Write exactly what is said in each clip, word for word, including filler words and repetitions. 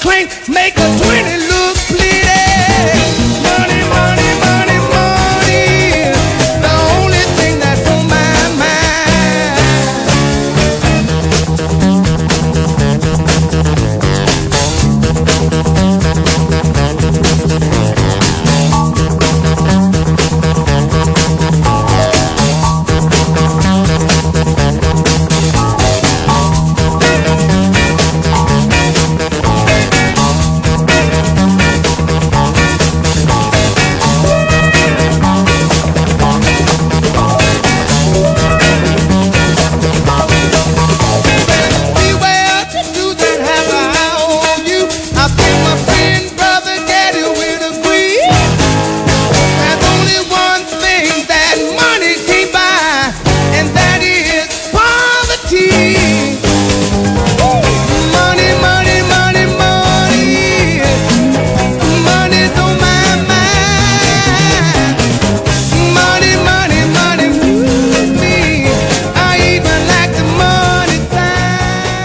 clink, make a twenty look pretty. Money, money, money, money, the only thing that's on my mind.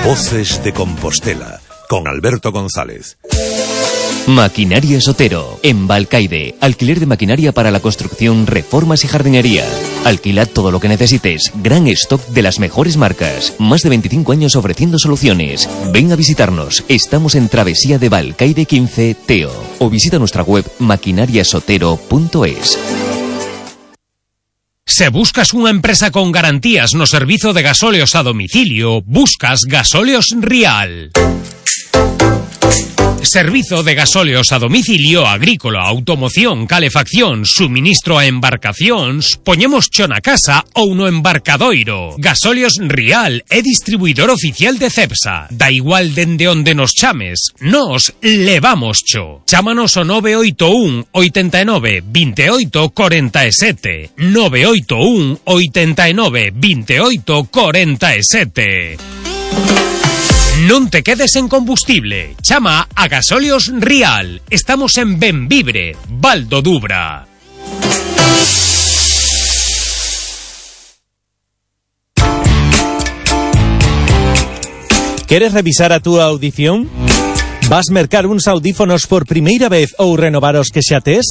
Voces de Compostela, con Alberto González. Maquinaria Sotero, en Balcaide. Alquiler de maquinaria para la construcción, reformas y jardinería. Alquila todo lo que necesites. Gran stock de las mejores marcas. Más de veinticinco años ofreciendo soluciones. Ven a visitarnos. Estamos en Travesía de Balcaide quince, Teo. O visita nuestra web maquinariasotero punto es. Se buscas unha empresa con garantías no servizo de gasóleos a domicilio, buscas Gasóleos Rial. Servizo de gasóleos a domicilio, agrícola, automoción, calefacción, suministro a embarcacións, poñemos cho na casa ou no embarcadoiro. Gasóleos Rial é distribuidor oficial de Cepsa. Da igual dende onde nos chames, nos levamos cho. Chámanos o nove oito un, oitenta e nove, veintioito, cuarenta e sete. nove oito un, oitenta e nove, veintioito, cuarenta e sete. Non te quedes en combustible. Chama a Gasóleos Rial. Estamos en Benvibre, Val do Dubra. Queres revisar a túa audición? Vas mercar uns audífonos por primeira vez ou renovar os que xa tes?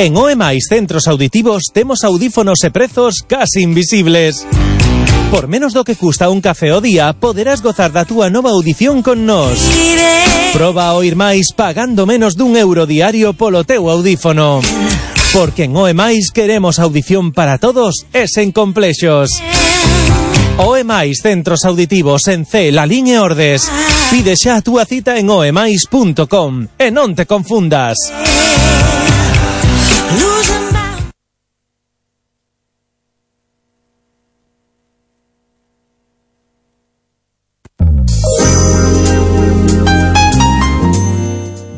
En O E Mais Centros Auditivos temos audífonos e prezos casi invisibles. Por menos do que custa un café ao día, poderás gozar da túa nova audición con nós. Proba a oír máis pagando menos dun euro diario polo teu audífono. Porque en O E Mais queremos audición para todos e sen complexos. O E Mais Centros Auditivos en C, Lalín e Ordes. Pide xa a túa cita en oemais punto com e non te confundas.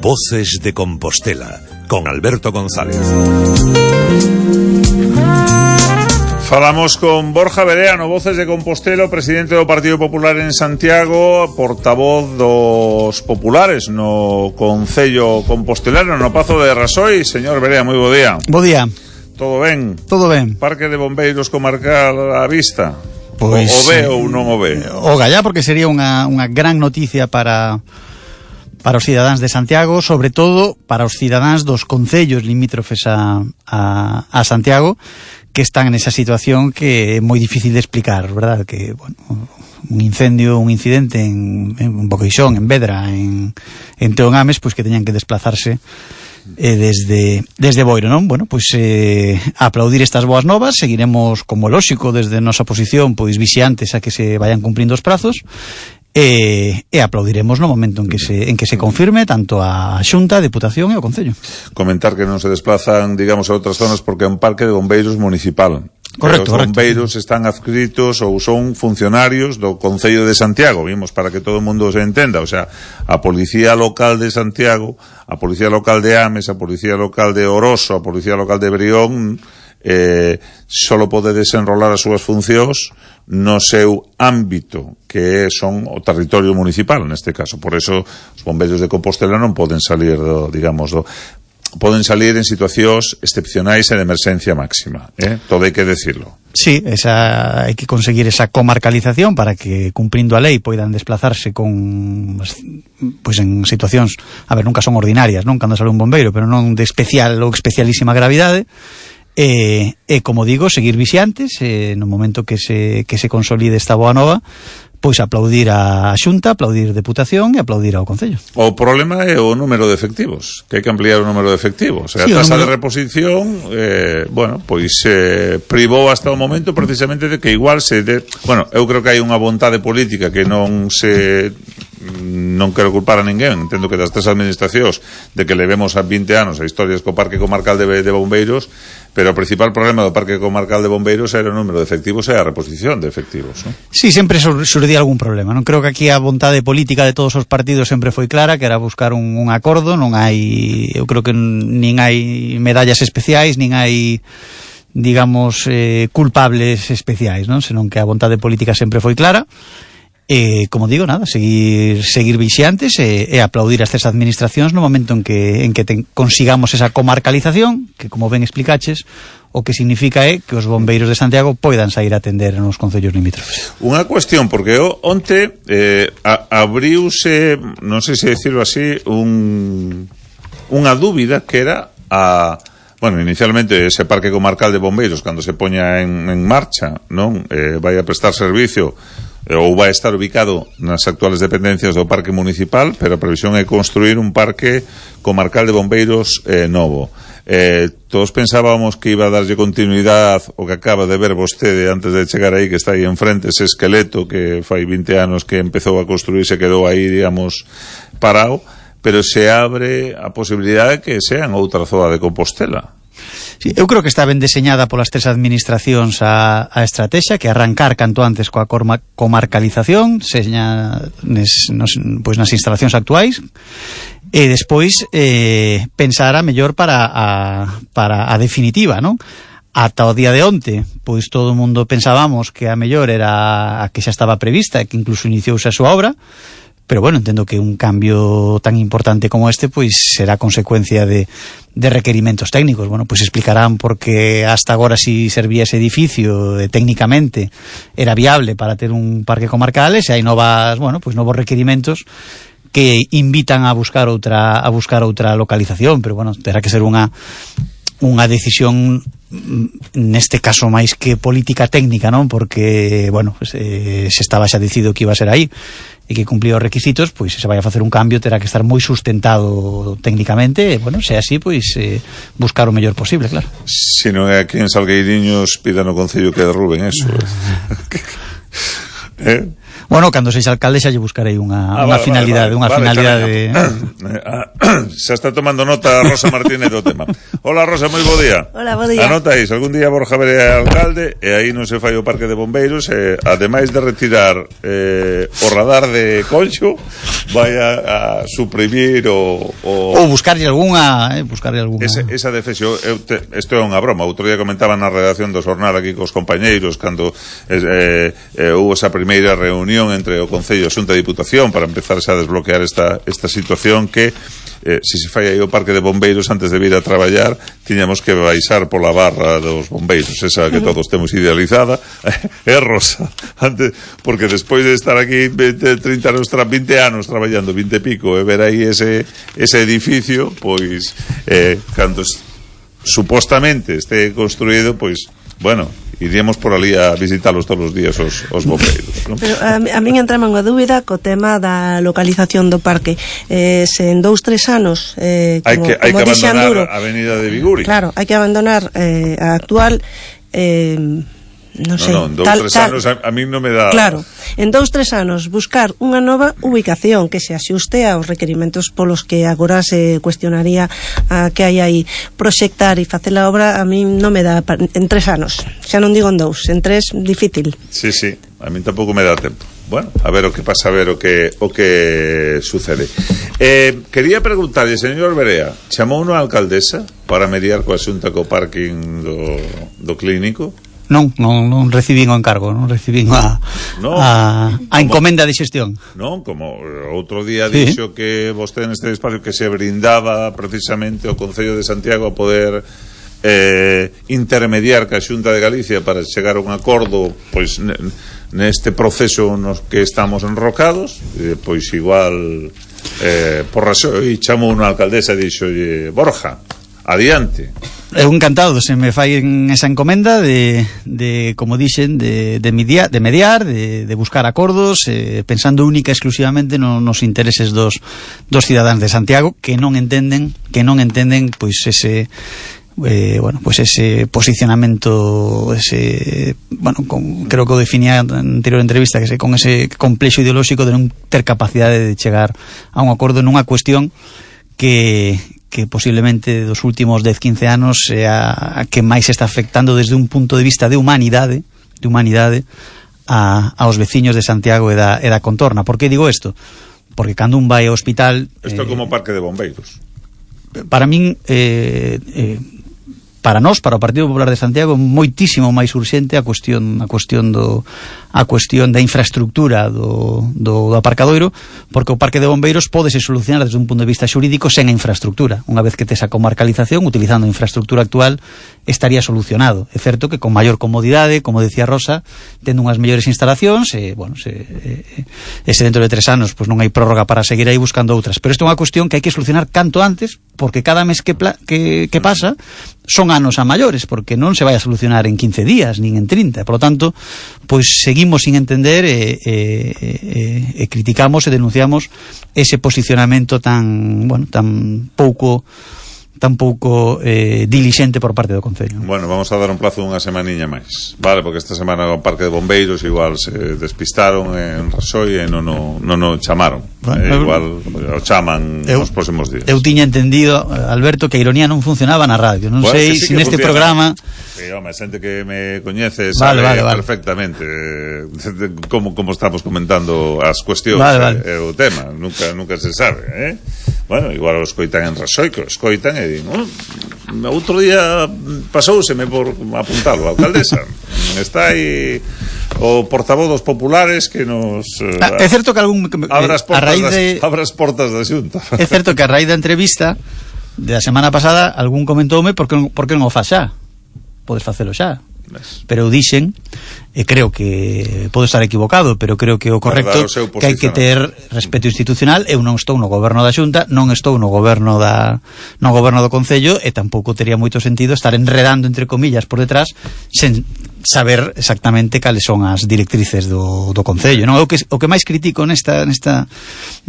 Voces de Compostela, con Alberto González. Falamos con Borja Bereano, Voces de Compostela, presidente do Partido Popular en Santiago, portavoz dos populares no Concello Compostelano, no Pazo de Rasoi. Señor Berea, moi bo día. Bo día. Todo ben? Todo ben. Parque de Bombeiros comarcal á vista? Pois, o, o ve ou non o ve? O gallá, porque sería unha, unha gran noticia para... para os cidadáns de Santiago, sobre todo para os cidadáns dos concellos limítrofes a, a, a Santiago, que están nesa situación que é moi difícil de explicar, verdad? Que, bueno, un incendio, un incidente en, en Boqueixón, en Vedra, en, en Teogames, pois que teñan que desplazarse eh, desde, desde Boiro, non? Bueno, pois eh, aplaudir estas boas novas, seguiremos como lóxico desde nosa posición, pois vixiantes a que se vayan cumprindo os prazos, E, e aplaudiremos no momento en que se en que se confirme tanto a Xunta, a Deputación e o Concello. Comentar que non se desplazan, digamos, a outras zonas porque é un parque de bombeiros municipal. Correcto, os bombeiros correcto. Están adscritos ou son funcionarios do Concello de Santiago, vimos, para que todo o mundo se entenda, o sea, a Policía Local de Santiago, a Policía Local de Ames, a Policía Local de Oroso, a Policía Local de Brión, eh, solo pode desenrolar as súas funcións no seu ámbito, que son o territorio municipal, neste caso. Por eso os bombeiros de Compostela non poden salir do, digamos, do... poden salir en situacións excepcionais e de emerxencia máxima, eh? Todo hai que decirlo. Sí, esa, hai que conseguir esa comarcalización para que, cumprindo a lei, poidan desplazarse con, pois en situacións, a ver, nunca son ordinarias, non, cando sale un bombeiro, pero non de especial ou especialísima gravidade. E, e como digo, seguir vixiantes, e no momento que se, que se consolide esta boa nova, pois aplaudir a Xunta, aplaudir Deputación e aplaudir ao Concello. O problema é o número de efectivos, que hai que ampliar o número de efectivos. Sí, a tasa número... de reposición, eh, bueno, pois eh, privou hasta o momento precisamente de que igual se... De... Bueno, eu creo que hai unha vontade política que non se... non quero culpar a ninguén, entendo que das tres administracións de que levemos a vinte anos a historias co Parque Comarcal de, de Bombeiros, pero o principal problema do Parque Comarcal de Bombeiros era o número de efectivos e a reposición de efectivos, non? Sí, sempre surdía algún problema, non creo que aquí a vontade política de todos os partidos sempre foi clara, que era buscar un, un acordo, non hai, eu creo que nin hai medallas especiais, nin hai, digamos, eh, culpables especiais, non? Senón que a vontade política sempre foi clara. E, como digo, nada, seguir seguir vixiantes e, e aplaudir as tres administracións no momento en que en que ten, consigamos esa comarcalización, que, como ben explicaches, o que significa é que os bombeiros de Santiago poidan sair a atender nos concellos limítrofes. Unha cuestión, porque o, onte eh, a, abriuse, non sei se decirlo así, un, unha dúbida que era a... Bueno, inicialmente ese Parque Comarcal de Bombeiros, cando se poña en, en marcha, non, eh, vai a prestar servicio ou vai estar ubicado nas actuales dependencias do Parque Municipal, pero a previsión é construir un Parque Comarcal de Bombeiros eh, novo. Eh, todos pensábamos que iba a darlle continuidade o que acaba de ver vostede antes de chegar aí, que está aí enfrente, ese esqueleto que fai vinte anos que empezou a construir, se quedou aí, digamos, parado, pero se abre a posibilidade que sea en outra zona de Compostela. Sí, eu creo que está ben deseñada polas tres administracións a, a estrategia, que arrancar canto antes coa corma, comarcalización, seña nes, nos, pois nas instalacións actuais, e despois eh, pensar a mellor para a, para a definitiva, non? Ata o día de onte, pois todo o mundo pensábamos que a mellor era a que xa estaba prevista e que incluso iniciouse a súa obra, pero bueno, entendo que un cambio tan importante como este pois será consecuencia de, de requerimentos técnicos. Bueno, pois explicarán por que hasta agora si servía ese edificio eh, técnicamente era viable para ter un parque comarcal, e se hai novas, bueno, pois novos requerimentos que invitan a buscar outra a buscar outra localización, pero bueno, terá que ser unha unha decisión neste caso máis que política técnica, non? Porque, bueno, pues, eh, se estaba xa decidido que iba a ser aí e que cumplía os requisitos, pois se vai a facer un cambio terá que estar moi sustentado técnicamente, e, bueno, se así, pois eh, buscar o mellor posible, claro. Se non é aquí en Salgueiriños, pida no Concello que derruben eso. eh? Bueno, cando sexa alcalde xa lle buscarei unha, ah, unha vale, finalidade, vale, unha vale, finalidade. Xa está tomando nota Rosa Martínez do tema. Hola Rosa, moi bo día. Hola, bo día. Anota aí, algún día Borja Verea alcalde e aí non se fai o Parque de Bombeiros, e ademais de retirar eh, o radar de Conxo, vai a, a suprimir o, o... ou buscarlle algunha, eh, buscarlle algunha. Ese, esa defensa, eu te, isto é unha broma. Outro día comentaba na redacción do Xornal aquí cos compañeiros cando eh, eh, houve esa primeira reunión entre o Concello e a Xunta de Diputación para empezarse a desbloquear esta, esta situación que eh, se se fai aí o Parque de Bombeiros antes de vir a traballar tiñamos que baixar pola barra dos bombeiros, esa que todos temos idealizada é eh, Rosa antes, porque despois de estar aquí veinte, trinta anos, vinte anos traballando, vinte e pico, e ver aí ese, ese edificio, pois eh, cando supostamente este construído, pois bueno, iríamos por ali a visitalos todos os días os, os bombeiros, non? Pero a, a min entrama unha dúbida co tema da localización do parque. Eh, se en dous, tres anos eh, como, hai que, hai como que abandonar Anduro, a avenida de Viguri. Claro, hai que abandonar eh, a actual eh, non sei, no, no, en dous, tal, tres tal, anos a, a mí non me dá... Claro, en dous, tres anos buscar unha nova ubicación que se axuste aos requerimentos polos que agora se cuestionaría a que hai aí. Proxectar e facer a obra a mí non me dá en tres anos, xa non digo en dous, en tres difícil. Sí, sí, a mí tampouco me dá tempo. Bueno, a ver o que pasa, a ver o que o que sucede. Eh, quería preguntarlle, señor Verea, chamou unha alcaldesa para mediar coa Xunta co parking do, do clínico? Non, non, non recibín o encargo, non recibín a, no, a, a encomenda de xestión. Non, como outro día sí. dixo que vostede neste espacio que se brindaba precisamente o Concello de Santiago a poder eh, intermediar ca Xunta de Galicia para chegar a un acordo pois neste proceso nos que estamos enrocados, eh, pois igual eh, por razón, e chamou unha alcaldesa e dixo, Borja, adiante. Eu encantado, se me fai esa encomenda de, de como dixen, de, de, mediar, de mediar, de, de buscar acordos, eh, pensando única e exclusivamente no, nos intereses dos, dos cidadáns de Santiago, que non entenden, que non entenden, pois ese eh, bueno, pues ese posicionamento, ese, bueno, con, creo que o definía na anterior entrevista, que se, con ese complexo ideolóxico de non ter capacidade de chegar a un acordo nunha cuestión que que posiblemente dos últimos dez, quince anos sea a que máis está afectando desde un punto de vista de humanidade, de humanidade a, aos veciños de Santiago e da, e da contorna. Por que digo isto? Porque cando un vai ao hospital... Isto é eh, como parque de bombeiros. Para min, eh, eh, para nós, para o Partido Popular de Santiago, moitísimo máis urxente a cuestión, a cuestión do a cuestión da infraestructura do, do, do aparcadoiro, porque o parque de bombeiros pódese solucionar desde un punto de vista xurídico sen a infraestructura. Unha vez que tes a comarcalización, utilizando a infraestructura actual, estaría solucionado. É certo que con maior comodidade, como decía Rosa, tendo unhas mellores instalacións, e, bueno, se, e, ese dentro de tres anos pues non hai prórroga para seguir aí buscando outras. Pero isto é unha cuestión que hai que solucionar canto antes, porque cada mes que, pla, que, que pasa son anos a maiores, porque non se vai a solucionar en quince días, nin en trinta. Por lo tanto, pois seguimos sin entender e, e, e, e criticamos e denunciamos ese posicionamento tan, bueno, tan pouco tan pouco eh, dilixente por parte do Concello. Bueno, vamos a dar un plazo dunha semaniña máis, vale, porque esta semana o parque de bombeiros igual se despistaron en Rasoi e non o, non o chamaron. Bueno, eh, igual o chaman eu, nos próximos días. Eu tiña entendido, Alberto, que a ironía non funcionaba na radio. Non bueno, sei se si neste programa... Sí, home, xente que me coñece vale, sabe vale, vale. perfectamente eh, como, como estamos comentando as cuestións vale, vale. e eh, o tema. Nunca, nunca se sabe, eh? Bueno, igual o escoitan en Rasoi, que o escoitan e din, oh, outro día pasouseme por apuntalo a alcaldesa. Está aí o portavoz dos populares que nos eh, ah, é certo que algún abra as portas, das, de... abra as portas da Xunta. É certo que a raíz da entrevista da semana pasada algún comentoume por que non, por que non o faz xa. Podes facelo xa. Pero dixen, e creo que podo estar equivocado, pero creo que o correcto o que hai que ter respeto institucional. Eu non estou no goberno da Xunta, non estou no goberno da no goberno do Concello, e tampouco tería moito sentido estar enredando entre comillas por detrás sen saber exactamente cales son as directrices do, do Concello, non? O que, o que máis critico nesta, nesta,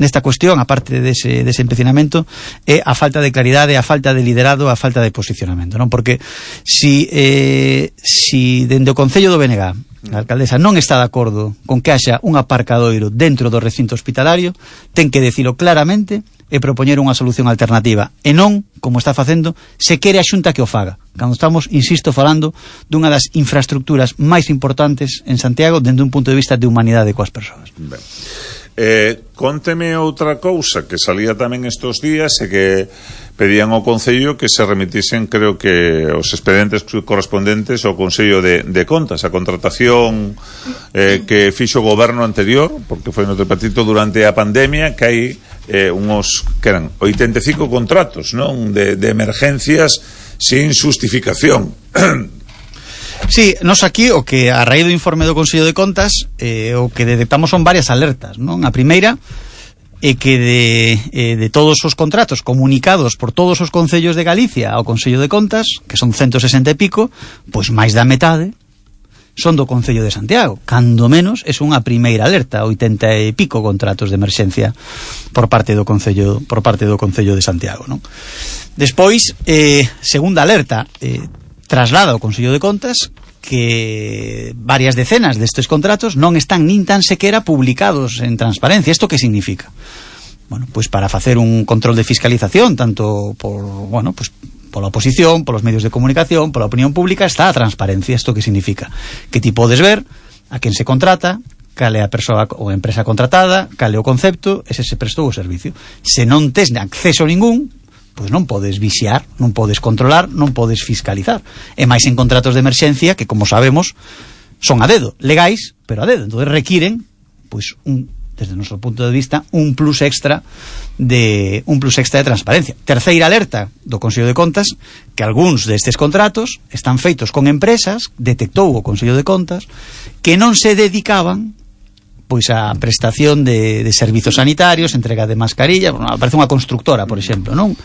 nesta cuestión, aparte dese, dese empecinamento, é a falta de claridade, a falta de liderado, a falta de posicionamento, non? Porque si, eh, si dende o Concello do B N G, a alcaldesa non está de acordo con que haxa un aparcadoiro dentro do recinto hospitalario, ten que decilo claramente e propoñer unha solución alternativa, e non, como está facendo, se quere a Xunta que o faga, cando estamos, insisto, falando dunha das infraestructuras máis importantes en Santiago dende un punto de vista de humanidade coas persoas. Ben. Eh, conteme outra cousa que salía tamén estos días, e que pedían ao Concello que se remitisen, creo que os expedientes correspondentes ao Consello de, de Contas, a contratación eh, que fixo o goberno anterior, porque foi no tripartito durante a pandemia, que hai eh, unos que eran oitenta e cinco contratos, non? De, de emergencias sin justificación. Sí, nos aquí o que a raíz do informe do Consello de Contas eh, o que detectamos son varias alertas, non? A primeira é que de, eh, de todos os contratos comunicados por todos os concellos de Galicia ao Consello de Contas, que son ciento sesenta e pico, pois máis da metade son do Concello de Santiago. Cando menos é unha primeira alerta, oitenta e pico contratos de emerxencia por parte do Concello, por parte do Concello de Santiago, non? Despois, eh, segunda alerta, eh, traslada ao Consello de Contas que varias decenas destes contratos non están nin tan sequera publicados en transparencia. Isto que significa? Bueno, pois para facer un control de fiscalización, tanto por, bueno, pois pola oposición, polos medios de comunicación, pola opinión pública, está a transparencia. Isto que significa? Que ti podes ver a quen se contrata, cale a persoa ou empresa contratada, cale o concepto, ese se prestou o servicio. Se non tes acceso ningún, pois non podes vixiar, non podes controlar, non podes fiscalizar. E máis en contratos de emerxencia que, como sabemos, son a dedo, legais, pero a dedo. Entón requiren, pois, un, desde o noso punto de vista, un plus extra de un plus extra de transparencia. Terceira alerta do Consello de Contas, que algúns destes contratos están feitos con empresas, detectou o Consello de Contas, que non se dedicaban pois a prestación de, de servizos sanitarios, entrega de mascarilla, bueno, aparece unha constructora, por exemplo, non?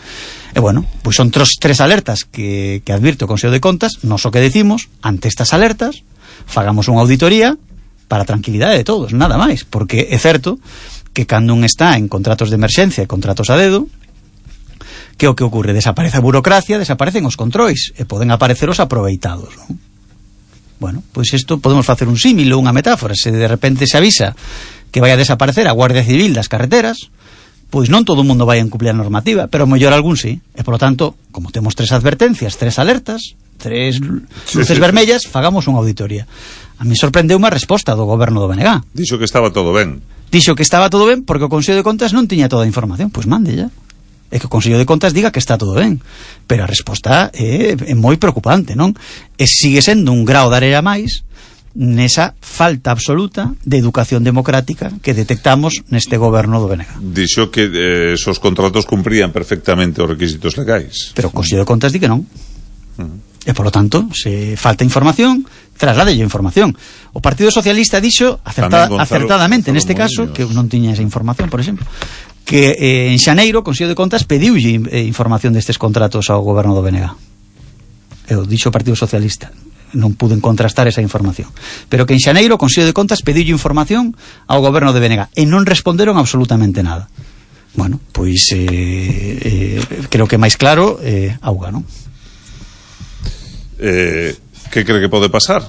E bueno, pois son tres, tres alertas que, que advirte o Consello de Contas. Nos o que decimos, ante estas alertas, fagamos unha auditoría para a tranquilidade de todos, nada máis, porque é certo que cando un está en contratos de emerxencia e contratos a dedo, que o que ocurre? Desaparece a burocracia, desaparecen os controis, e poden aparecer os aproveitados, non? Bueno, pois isto podemos facer un símil ou unha metáfora. Se de repente se avisa que vai a desaparecer a Guardia Civil das carreteras, pois non todo o mundo vai a incumplir a normativa, pero mellor algún sí. E, por lo tanto, como temos tres advertencias, tres alertas, tres luces sí, sí, vermellas, sí. Fagamos unha auditoría. A mí sorprendeu unha resposta do goberno do B N G. Dixo que estaba todo ben. Dixo que estaba todo ben porque o Consello de Contas non tiña toda a información. Pois mande ya. É que o Consello de Contas diga que está todo ben, pero a resposta é, é moi preocupante, non? E sigue sendo un grao de areia máis nesa falta absoluta de educación democrática que detectamos neste goberno do B N G. Dixo que eh, esos contratos cumprían perfectamente os requisitos legais. Pero o Consello de Contas di que non. Uh-huh. E, por lo tanto, se falta información, trasladelle información. O Partido Socialista dixo acertada, Gonzalo, acertadamente, Gonzalo neste caso, Molinos, que non tiña esa información, por exemplo, que eh, en xaneiro o Consello de Contas pediulle eh, información destes contratos ao goberno do B N G. E o dixo o Partido Socialista, non puden contrastar esa información, pero que en xaneiro o Consello de Contas pediulle información ao goberno de B N G e non responderon absolutamente nada. Bueno, pois eh, eh, creo que máis claro eh, auga, non? Eh, que cree que pode pasar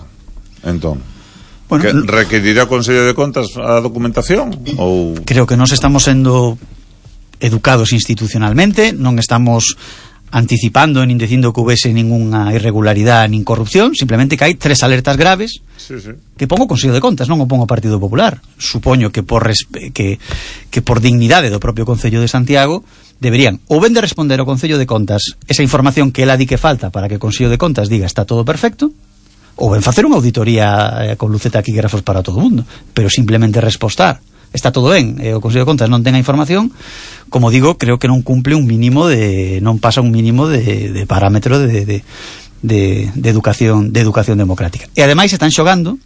entón? Bueno, que requerirá o Consello de Contas a documentación? Ou... Creo que nós estamos sendo educados institucionalmente, non estamos anticipando nin dicindo que houvese ninguna irregularidade nin corrupción, simplemente que hai tres alertas graves sí, sí. que pon o Consello de Contas, non o pon o Partido Popular. Supoño que por, respe- que, que por dignidade do propio Concello de Santiago deberían ou ben de responder ao Concello de Contas esa información que ela di que falta para que o Consello de Contas diga está todo perfecto, ou ben facer unha auditoría eh, con luceta taquígrafos para todo o mundo, pero simplemente respostar está todo ben, e o Consello de Contas non ten a información, como digo, creo que non cumple un mínimo de, non pasa un mínimo de, de parámetro de, de, de, de educación de educación democrática. E ademais están xogando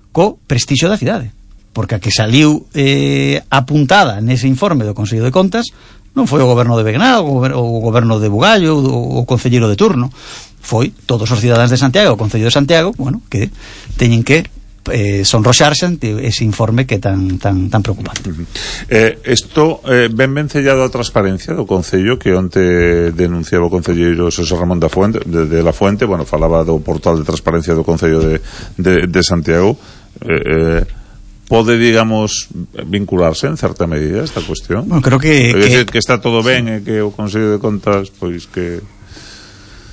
co prestixio da cidade, porque a que saliu eh, apuntada nese informe do Consello de Contas non foi o goberno de Begná, o goberno de Bugallo, o, o concelleiro de turno, foi todos os cidadáns de Santiago, o Concello de Santiago, bueno, que teñen que eh, sonroxarse ante ese informe que é tan, tan, tan preocupante. Uh-huh. Eh, esto eh, ben vencellado a transparencia do Concello, que onte denunciaba o concelleiro Xosé Ramón da Fuente, de, de la Fuente, bueno, falaba do portal de transparencia do Concello de, de, de Santiago. eh, eh, pode, digamos, vincularse en certa medida esta cuestión? Bueno, creo que, que... que está todo ben e que o Consello de Contas, pois que...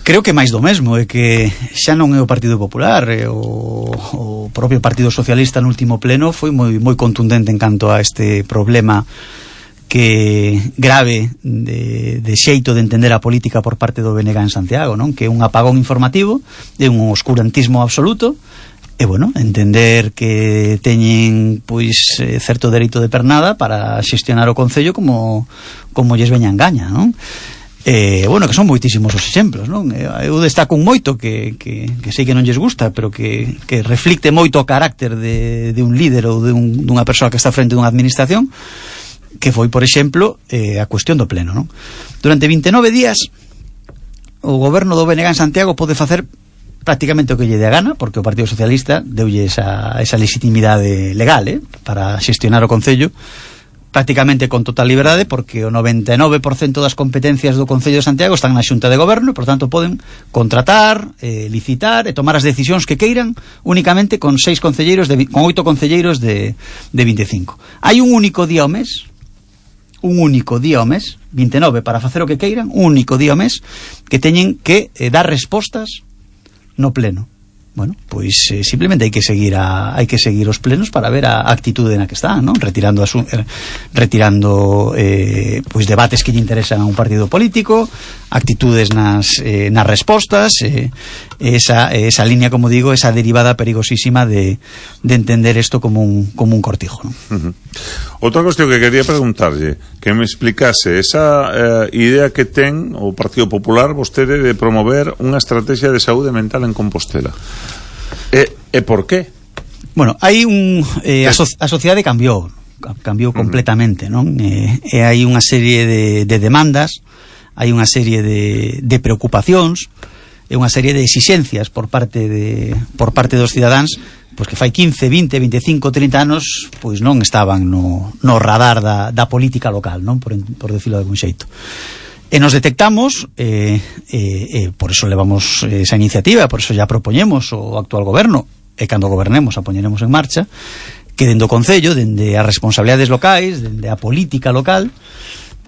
Creo que máis do mesmo, é que xa non é o Partido Popular, é o, o propio Partido Socialista no último pleno foi moi, moi contundente en canto a este problema que grave de, de xeito de entender a política por parte do B N G en Santiago, non? Que é un apagón informativo, é un oscurantismo absoluto. E, bueno, entender que teñen, pois, eh, certo dereito de pernada para xestionar o Concello como, como lles veña en gaña, non? E, bueno, que son moitísimos os exemplos, non? Eu destaco un moito que, que, que sei que non lles gusta, pero que, que reflicte moito o carácter de, de un líder ou de un, dunha persoa que está frente dunha administración, que foi, por exemplo, eh, a cuestión do pleno, non? Durante vinte e nove días o goberno do B N G en Santiago pode facer prácticamente o que lle dé a gana, porque o Partido Socialista deulle esa, esa legitimidade legal eh, para xestionar o Concello prácticamente con total liberdade, porque o noventa e nove por cento das competencias do Concello de Santiago están na Xunta de Goberno e, por tanto, poden contratar, eh, licitar e tomar as decisións que queiran únicamente con seis concelleiros de, con oito concelleiros de, de vinte e cinco. Hai un único día ao mes, un único día ao mes, vinte e nove para facer o que queiran, un único día ao mes que teñen que eh, dar respostas no pleno. bueno, pois eh, simplemente hai que seguir a, hai que seguir os plenos para ver a actitude na que están, non? Retirando asu, eh, retirando eh, pois debates que lle interesan a un partido político, actitudes nas eh, nas respostas, eh, esa esa línea, como digo, esa derivada perigosísima de de entender isto como un como un cortijo, non? Uh-huh. Outra cuestión que quería preguntarlle, que me explicase esa eh, idea que ten o Partido Popular vostede de promover unha estrategia de saúde mental en Compostela. E, e por qué? Bueno, hai un eh, a, so, a sociedade cambiou, cambiou completamente, non? Eh, e hai unha serie de, de demandas, hai unha serie de, de preocupacións e unha serie de exixencias por parte de por parte dos cidadáns, pois que fai quince, vinte, veinticinco, trinta anos pois non estaban no, no radar da, da política local, non? Por, por decirlo de algún xeito. E nos detectamos, eh, eh, eh, por eso levamos esa iniciativa, por eso ya propoñemos o actual goberno, e cando gobernemos a poñeremos en marcha, que dende o Concello, dende as responsabilidades locais, dende a política local,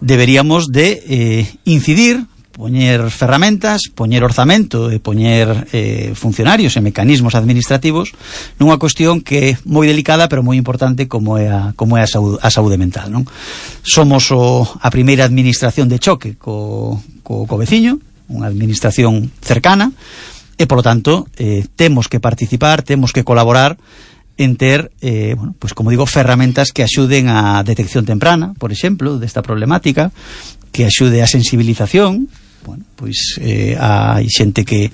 deberíamos de eh, incidir, poñer ferramentas, poñer orzamento e poñer eh, funcionarios e mecanismos administrativos nunha cuestión que é moi delicada pero moi importante como é a, como é a, saúde, a saúde mental, non? Somos o, a primeira administración de choque co, co, co veciño, unha administración cercana e, polo tanto, eh, temos que participar, temos que colaborar en ter, eh, bueno, pues como digo, ferramentas que axuden a detección temprana, por exemplo, desta problemática, que axude a sensibilización. Bueno, pois eh, hai xente que,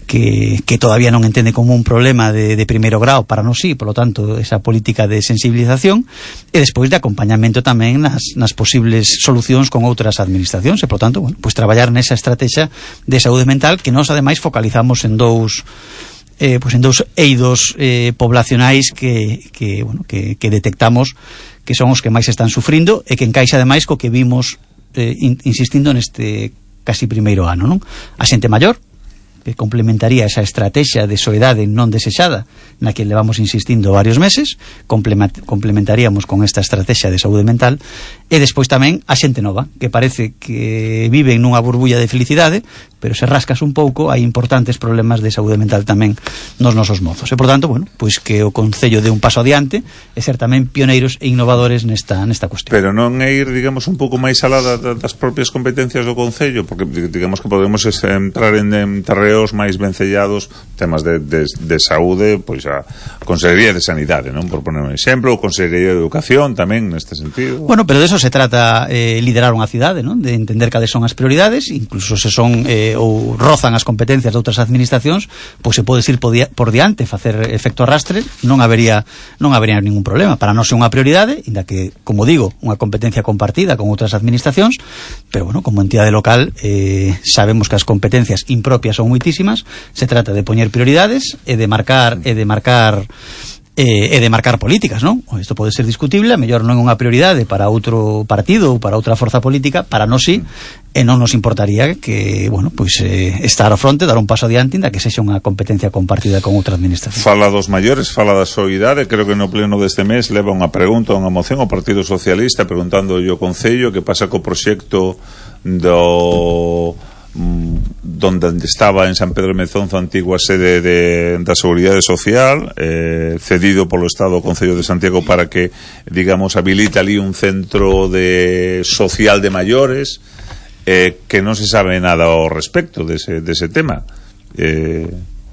que, que todavía non entende como un problema de, de primeiro grau, para non sí, polo tanto, esa política de sensibilización e despois de acompañamento tamén nas, nas posibles solucións con outras administracións e, polo tanto, bueno, pois traballar nesa estrategia de saúde mental que nós, ademais, focalizamos en dous eh, pois en dous eidos eh, poblacionais que, que, bueno, que, que detectamos que son os que máis están sufrindo e que encaixa, ademais, co que vimos eh, in, insistindo neste casi primeiro ano, non? A xente maior, que complementaría esa estrategia de soidade non desexada na que levamos insistindo varios meses, complementaríamos con esta estrategia de saúde mental, e despois tamén a xente nova, que parece que viven nunha burbulla de felicidade, pero se rascas un pouco hai importantes problemas de saúde mental tamén nos nosos mozos. E, por tanto, bueno, pois que o Concello dé un paso adiante e ser tamén pioneiros e innovadores nesta nesta cuestión. Pero non é ir, digamos, un pouco máis alá das propias competencias do Concello, porque digamos que podemos entrar en, en terreos máis vencellados, temas de, de, de saúde, pois a Consellería de Sanidade, non? Por poner un exemplo, o Consellería de Educación tamén neste sentido. Bueno, pero de eso se trata, eh, liderar unha cidade, non? De entender cales son as prioridades, incluso se son eh, ou rozan as competencias de outras administracións, pois se pode ir por, di por diante, facer efecto arrastre, non habería non habería ningún problema. Para nós é unha prioridade, inda que, como digo, unha competencia compartida con outras administracións, pero bueno, como entidade local eh, sabemos que as competencias impropias son moitísimas, se trata de poñer prioridades e de marcar e de marcar e, e de marcar políticas, non? Isto pode ser discutible, a mellor non é unha prioridade para outro partido ou para outra forza política, para nós sí, e non nos importaría que, bueno, pois eh, estar ao fronte, dar un paso adiante, inda que sexa unha competencia compartida con outra administración. Fala dos maiores, fala da soidade, creo que no pleno deste mes leva unha pregunta, unha moción ao Partido Socialista preguntando o Concello que pasa co proxecto do donde estaba en San Pedro de Mezonzo a antigua sede de, da Seguridade Social, eh, cedido polo Estado ao Concello de Santiago para que, digamos, habilita ali un centro de social de maiores, eh, que non se sabe nada ao respecto dese, dese tema. Eh,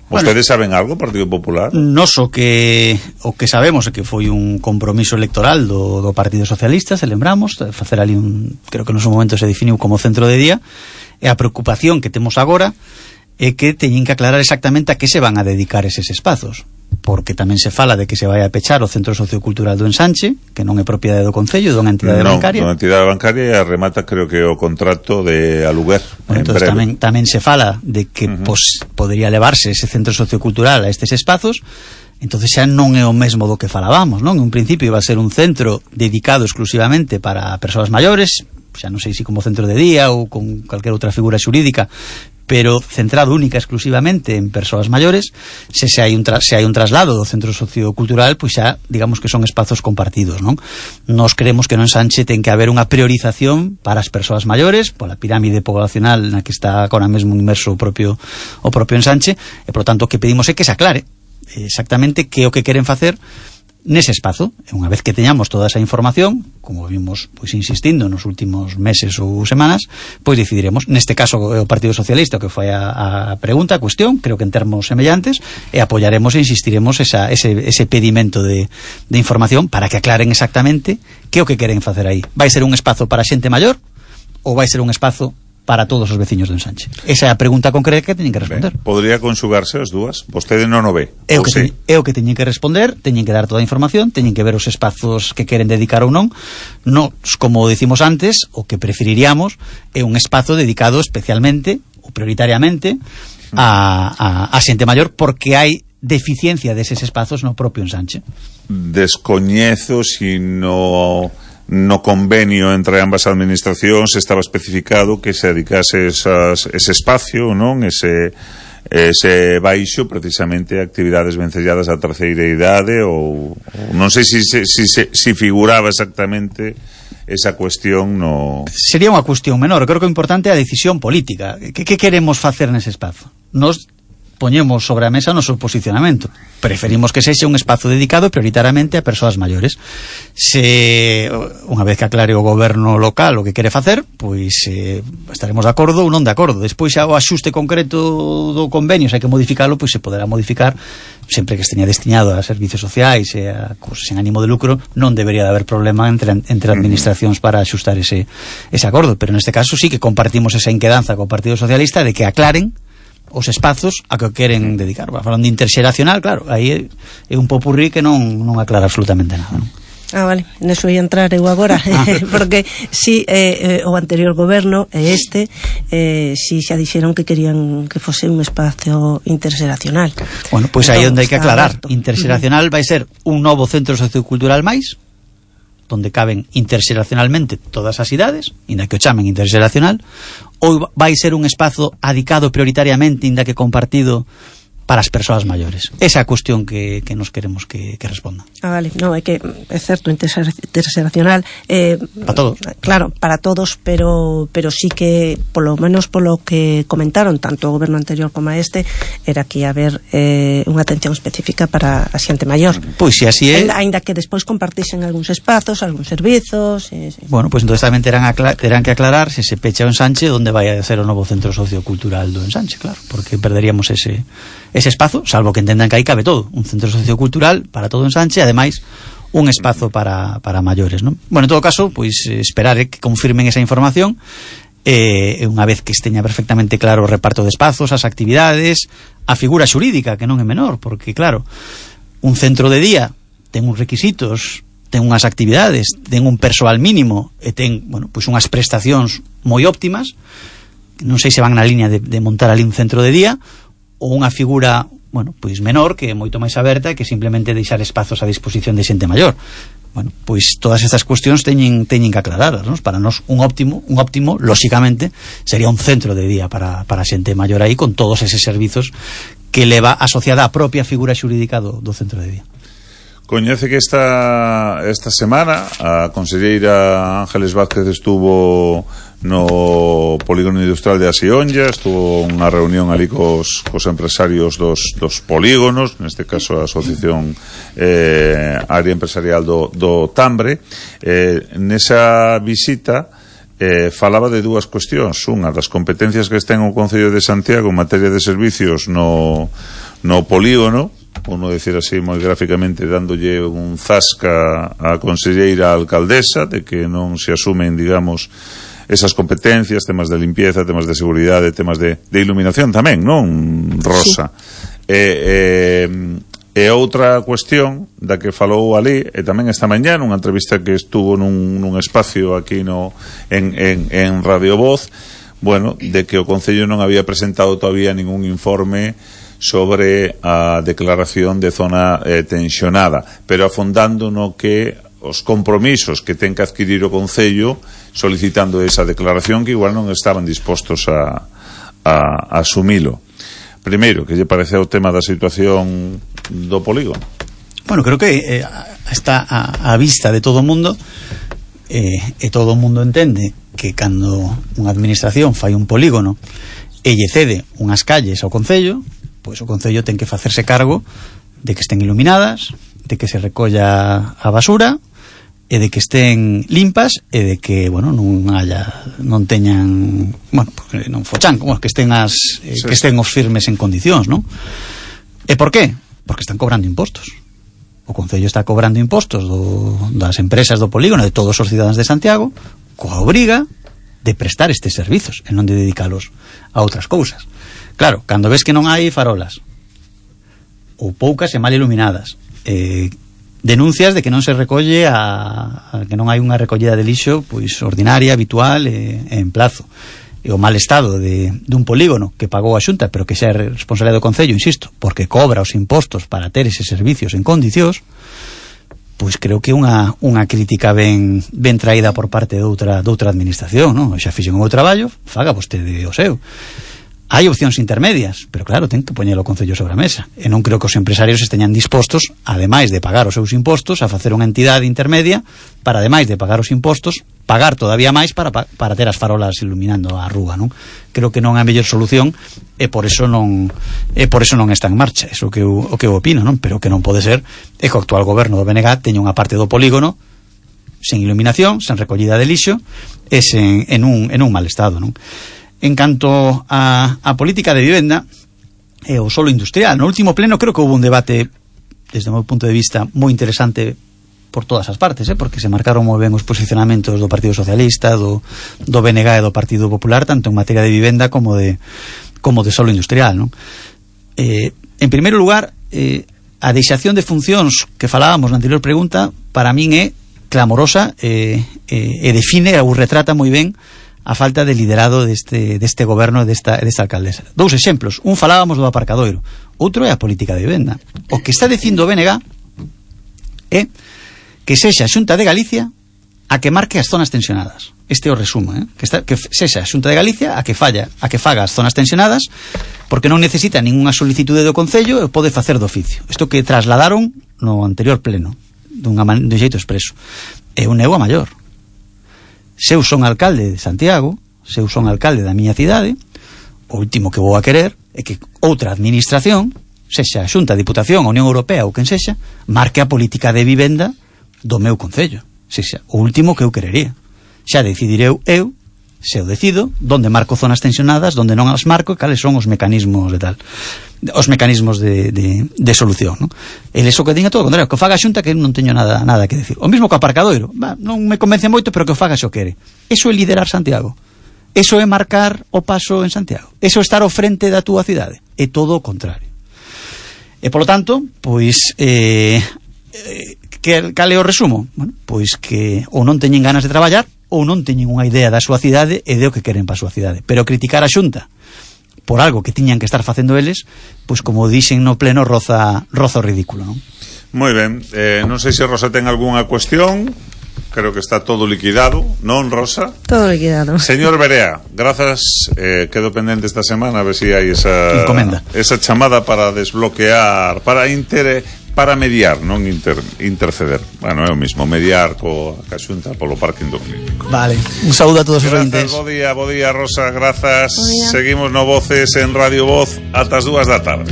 ¿Vostedes bueno, saben algo, Partido Popular? Nos o que o que sabemos é que foi un compromiso electoral do, do Partido Socialista, se lembramos, facer ali un, creo que no seu momento se definiu como centro de día. E a preocupación que temos agora é que teñen que aclarar exactamente a que se van a dedicar eses espazos, porque tamén se fala de que se vai a pechar o Centro Sociocultural do Ensanche, que non é propiedade do Concello, dunha entidade non, bancaria. Non, dunha entidade bancaria remata, creo que o contrato de aluguer. Bueno, entón tamén, tamén se fala de que uh -huh. pos, podría levarse ese Centro Sociocultural a estes espazos. Entonces xa non é o mesmo do que falábamos, non? En un principio iba a ser un centro dedicado exclusivamente para persoas maiores, xa non sei se como centro de día ou con calquera outra figura xurídica, pero centrado única exclusivamente en persoas maiores. Se se hai un tra se hai un traslado do centro sociocultural, pois xa, digamos que son espazos compartidos, non? Nos creemos que no Ensanche ten que haber unha priorización para as persoas maiores, pola pirámide poblacional na que está agora mesmo inmerso o propio o propio Ensanche, e por tanto o que pedimos é que se aclare exactamente que é o que queren facer nese espazo. E unha vez que teñamos toda esa información, como vimos pois insistindo nos últimos meses ou semanas, pois decidiremos. Neste caso o Partido Socialista, que foi a, a pregunta, a cuestión, creo que en termos semellantes, e apoyaremos e insistiremos esa, ese, ese pedimento de, de información para que aclaren exactamente que é o que queren facer aí. Vai ser un espazo para xente maior ou vai ser un espazo para todos os veciños do Ensanche? Esa é a pregunta concreta que teñen que responder. Ben, podría conxugarse as dúas? Vostede non o ve? É o, que teñen, é o que teñen que responder, teñen que dar toda a información, teñen que ver os espazos que queren dedicar ou non. Nos, como decimos antes, o que preferiríamos é un espazo dedicado especialmente ou prioritariamente a, a, a xente maior, porque hai deficiencia deses espazos no propio Ensanche. Descoñezo si no... no convenio entre ambas administracións estaba especificado que se dedicase esas, ese espacio, non? Ese, ese baixo precisamente a actividades vencelladas á terceira idade, ou, ou non sei se si, si, si, si figuraba exactamente esa cuestión no... Sería unha cuestión menor. Creo que o importante é a decisión política. Que, que queremos facer nese espazo? Nos poñemos sobre a mesa o noso posicionamento. Preferimos que sexa un espazo dedicado prioritariamente a persoas maiores. Se unha vez que aclare o goberno local o que quere facer, pois eh, estaremos de acordo ou non de acordo. Despois xa o axuste concreto do convenio, se hai que modificalo, pois se poderá modificar sempre que esteña destinado a servicios sociais e a cosas sen ánimo de lucro. Non debería de haber problema entre, entre administracións para axustar ese, ese acordo, pero neste caso sí que compartimos esa inquedanza co Partido Socialista de que aclaren os espazos a que queren dedicar. Falando de interxeracional, claro, aí é, é un popurrí que non, non aclara absolutamente nada, non? Ah, vale, neso ia entrar eu agora porque si eh, o anterior goberno e este eh, si xa dixeron que querían que fose un espacio interxeracional. Bueno, pois pues aí onde hai que aclarar. Interxeracional vai ser un novo centro sociocultural máis, donde caben interxeracionalmente todas as idades, inda que o chamen interxeracional, ou vai ser un espazo adicado prioritariamente, inda que compartido, para as persoas maiores. Esa é a cuestión que, que nos queremos que, que responda. Ah, vale, no, é que é certo, interxeracional eh, para todos. Claro, para todos, pero pero sí que polo menos polo que comentaron tanto o goberno anterior como a este, era que ia haber eh, unha atención específica para a xente maior. Pois se así é, ainda, ainda que despois compartisen algúns espazos, algúns servizos, eh, sí. Bueno, pois pues entonces tamén terán, terán que aclarar se se pecha o Ensanche onde vai a ser o novo centro sociocultural do Ensanche, claro, porque perderíamos ese ese espazo, salvo que entendan que aí cabe todo, un centro sociocultural para todo Ensanche, ademais un espazo para, para maiores, non? Bueno, en todo caso, pois esperar que confirmen esa información e eh, unha vez que esteña perfectamente claro o reparto de espazos, as actividades, a figura xurídica, que non é menor, porque claro, un centro de día ten uns requisitos, ten unhas actividades, ten un persoal mínimo e ten, bueno, pois unhas prestacións moi óptimas. Non sei se van na liña de, de montar ali un centro de día ou unha figura, bueno, pois menor, que é moito máis aberta e que simplemente deixar espazos a disposición de xente maior. Bueno, pois todas estas cuestións teñen, teñen que aclararlas, non? Para nós un óptimo, un óptimo, lóxicamente, sería un centro de día para, para xente maior aí, con todos eses servizos que leva asociada a propia figura xurídica do, do centro de día. Coñece que esta, esta semana a conselleira Ángeles Vázquez estuvo no polígono industrial de Asionlla, estuvo unha reunión ali cos, cos empresarios dos, dos polígonos, neste caso a Asociación eh, Área Empresarial do, do Tambre. Eh, nesa visita eh, falaba de dúas cuestións. Unha das competencias que ten o Concello de Santiago en materia de servicios no, no polígono, uno decir así moi gráficamente, dándolle un zasca á conselleira alcaldesa de que non se asumen, digamos, esas competencias, temas de limpieza, temas de seguridade, temas de, de iluminación tamén, non, Rosa? Sí. E, e, e outra cuestión da que falou ali, e tamén esta mañá nunha entrevista que estuvo nun, nun espacio aquí no, en, en, en Radio Voz, bueno, de que o Concello non había presentado todavía ningún informe sobre a declaración de zona eh, tensionada, pero afondando no que os compromisos que ten que adquirir o Concello solicitando esa declaración, que igual non estaban dispostos a, a, a asumilo. Primeiro, que lle parece o tema da situación do polígono? Bueno, creo que eh, está a, a vista de todo o mundo, eh, e todo o mundo entende que cando unha administración fai un polígono e lle cede unhas calles ao Concello, pois o Concello ten que facerse cargo de que estén iluminadas, de que se recolla a basura e de que estén limpas e de que, bueno, non haya non teñan, bueno, porque non fochan, como que estén as eh, sí, que estén os firmes en condicións, non? E por qué? Porque están cobrando impostos. O Concello está cobrando impostos do, das empresas do polígono, de todos os cidadáns de Santiago, coa obriga de prestar estes servizos e non de dedicalos a outras cousas. Claro, cando ves que non hai farolas ou poucas e mal iluminadas, eh, denuncias de que non se recolle a, a que non hai unha recollida de lixo pois ordinaria, habitual e, e en plazo, e o mal estado de, de un polígono que pagou a Xunta pero que xa é responsabilidade do Concello, insisto, porque cobra os impostos para ter eses servicios en condicións, pois creo que unha, unha crítica ben, ben traída por parte de outra, de outra administración, non? Xa fixen o meu traballo, faga vostede o seu. Hai opcións intermedias, pero claro, ten que poñer o Concello sobre a mesa, e non creo que os empresarios esteñan dispostos, ademais de pagar os seus impostos, a facer unha entidade intermedia para, ademais de pagar os impostos, pagar todavía máis para, para ter as farolas iluminando a rúa, non? Creo que non é a mellor solución e por eso non e por eso non está en marcha, eso que eu, o que eu opino, non? Pero que non pode ser é que o actual goberno do B N G teña unha parte do polígono sen iluminación, sen recollida de lixo e sen, en, un, en un mal estado, non? En canto a, a política de vivenda e o solo industrial, no último pleno creo que houve un debate desde o meu punto de vista moi interesante por todas as partes, eh? Porque se marcaron moi ben os posicionamentos do Partido Socialista, do, do B N G e do Partido Popular, tanto en materia de vivenda como de, como de solo industrial, non? Eh, en primeiro lugar, eh, a deixación de funcións que falábamos na anterior pregunta para min é clamorosa eh, eh, e define ou retrata moi ben a falta de liderado deste, deste goberno e desta, desta alcaldesa. Dous exemplos, un falábamos do aparcadoiro, outro é a política de vivenda. O que está dicindo o B N G é que sexa a Xunta de Galicia a que marque as zonas tensionadas. Este é o resumo, eh? que, está, que sexa a Xunta de Galicia a que falla, a que faga as zonas tensionadas, porque non necesita ningunha solicitude do Concello e pode facer do oficio. Isto que trasladaron no anterior pleno, dunha man, dun xeito expreso. É un nego a maior. Se eu son alcalde de Santiago, se eu son alcalde da miña cidade, o último que vou a querer é que outra administración, sexa a Xunta, a Diputación, a Unión Europea ou quen sexa, marque a política de vivenda do meu concello. Sexa o último que eu querería. Xa decidireu eu, se eu decido, donde marco zonas tensionadas, donde non as marco, e cales son os mecanismos de tal, os mecanismos de, de, de solución, non? Eles o que diga todo o contrario, que o faga a Xunta, que non teño nada nada que decir. O mismo co aparcadoiro, bah, non me convence moito, pero que o faga se o quere. Eso é liderar Santiago. Eso é marcar o paso en Santiago. Eso é estar ao frente da túa cidade. É todo o contrario. E polo tanto, pois eh, eh, que cal é o resumo? Bueno, pois que ou non teñen ganas de traballar ou non teñen unha idea da súa cidade e de o que queren para a súa cidade. Pero criticar a Xunta por algo que tiñan que estar facendo eles, pois como dixen no pleno, roza, roza o ridículo, non? Moi ben, eh, non sei se Rosa ten algunha cuestión. Creo que está todo liquidado, non, Rosa? Todo liquidado. Señor Berea, grazas, eh, quedo pendente esta semana a ver si hai esa encomenda, esa chamada para desbloquear, para inter, para mediar, non inter, interceder. Bueno, é o mismo, mediar co a Xunta polo parking do clínico. Vale, un saúdo a todos os oyentes. Bo día, bo día, Rosa, grazas. Seguimos no Voces en Radio Voz ata as dúas da tarde.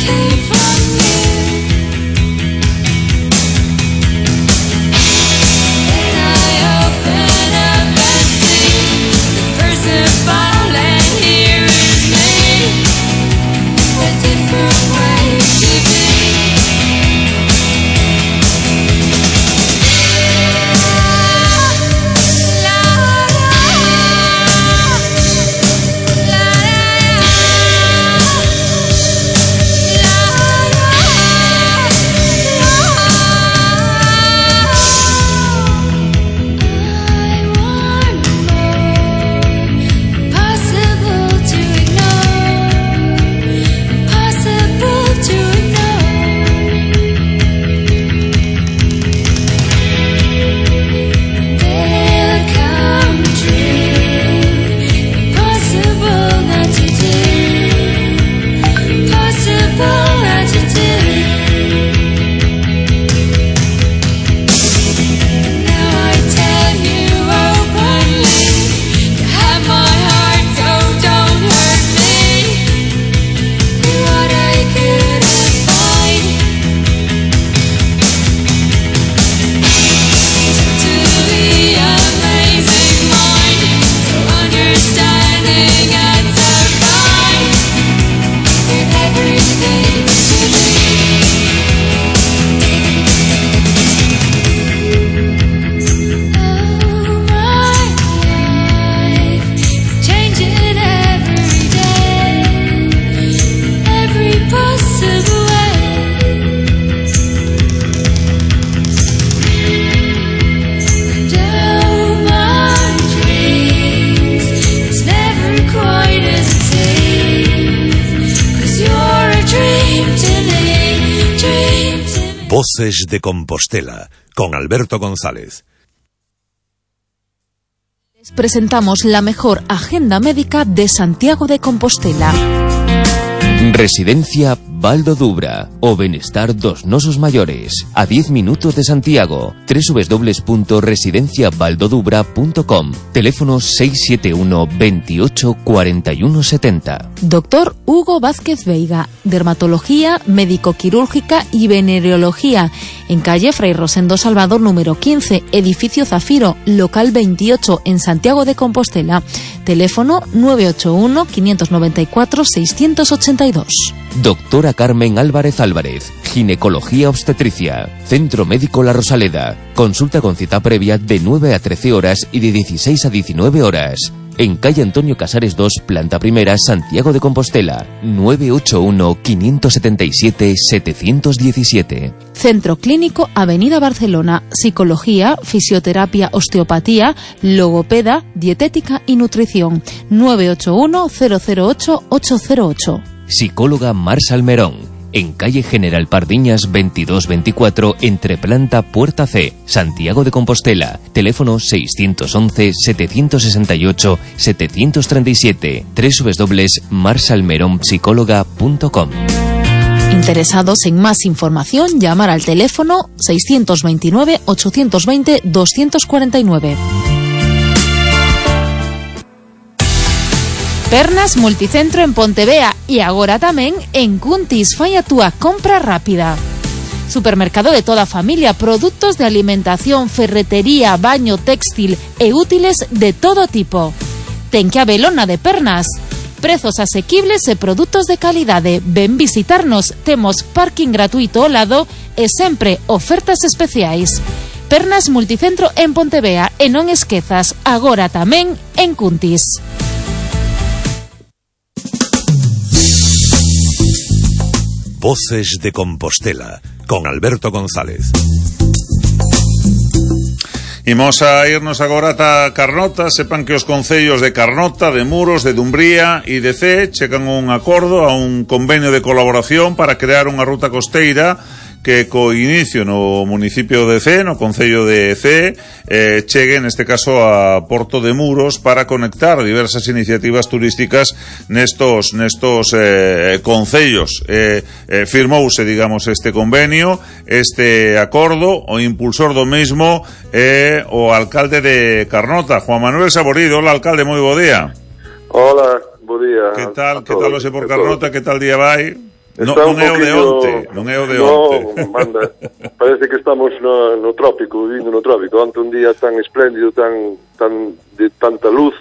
Came from you. And I hope Voces de Compostela, con Alberto González. Les presentamos la mejor agenda médica de Santiago de Compostela. Residencia Valdo Dubra, o Benestar dos Nosos Mayores, a diez minutos de Santiago. doble u doble u doble u punto residencia valdo dubra punto com. Teléfono seis siete uno, veintiocho, cuarenta y uno setenta. Doctor Hugo Vázquez Veiga, dermatología, médico-quirúrgica y venereología, en calle Fray Rosendo Salvador número quince, edificio Zafiro, local veintiocho, en Santiago de Compostela. Teléfono nueve ocho uno, quinientos noventa y cuatro, seiscientos ochenta y dos. Doctora Carmen Álvarez Álvarez, ginecología obstetricia, Centro Médico La Rosaleda. Consulta con cita previa de nueve a trece horas y de dieciséis a diecinueve horas. En calle Antonio Casares dos, planta primera, Santiago de Compostela. nueve ocho uno, quinientos setenta y siete, setecientos diecisiete. Centro Clínico Avenida Barcelona, psicología, fisioterapia, osteopatía, logopeda, dietética y nutrición. nueve ocho uno, cero cero ocho, ocho cero ocho. Psicóloga Mar Salmerón, en calle General Pardiñas veintidós veinticuatro, entre planta Puerta C, Santiago de Compostela. Teléfono seiscientos once, setecientos sesenta y ocho, setecientos treinta y siete. doble u doble u doble u punto mar salmerón psicóloga punto com. Interesados en más información, llamar al teléfono seiscientos veintinueve, ochocientos veinte, doscientos cuarenta y nueve. Pernas Multicentro en Pontevea e agora tamén en Cuntis. Fai a túa compra rápida. Supermercado de toda familia, productos de alimentación, ferretería, baño, textil e útiles de todo tipo. Ten que habelona de Pernas. Prezos asequibles e produtos de calidade. Ven visitarnos, temos parking gratuito ao lado e sempre ofertas especiais. Pernas Multicentro en Pontevea e non esquezas, agora tamén en Cuntis. Voces de Compostela, con Alberto González. Imos a irnos agora ata Carnota. Sepan que os concellos de Carnota, de Muros, de Dumbría e de Cee chegan un acordo a un convenio de colaboración para crear unha ruta costeira que co inicio no municipio de Cee, no concello de Cee, eh, chegue neste caso a Porto de Muros para conectar diversas iniciativas turísticas nestos nestos eh, concellos. Eh, eh, firmouse, digamos, este convenio, este acordo. O impulsor do mesmo é eh, o alcalde de Carnota, Juan Manuel Saborido. Hola, alcalde, moi bo día. Hola, bo día. Que tal, que tal hoxe por Carnota, que tal día vai? No, non é o de poquillo... onte, non é o de no, onte. Manda, parece que estamos no, no trópico, vivindo no trópico. Ante un día tan espléndido, tan, tan de tanta luz,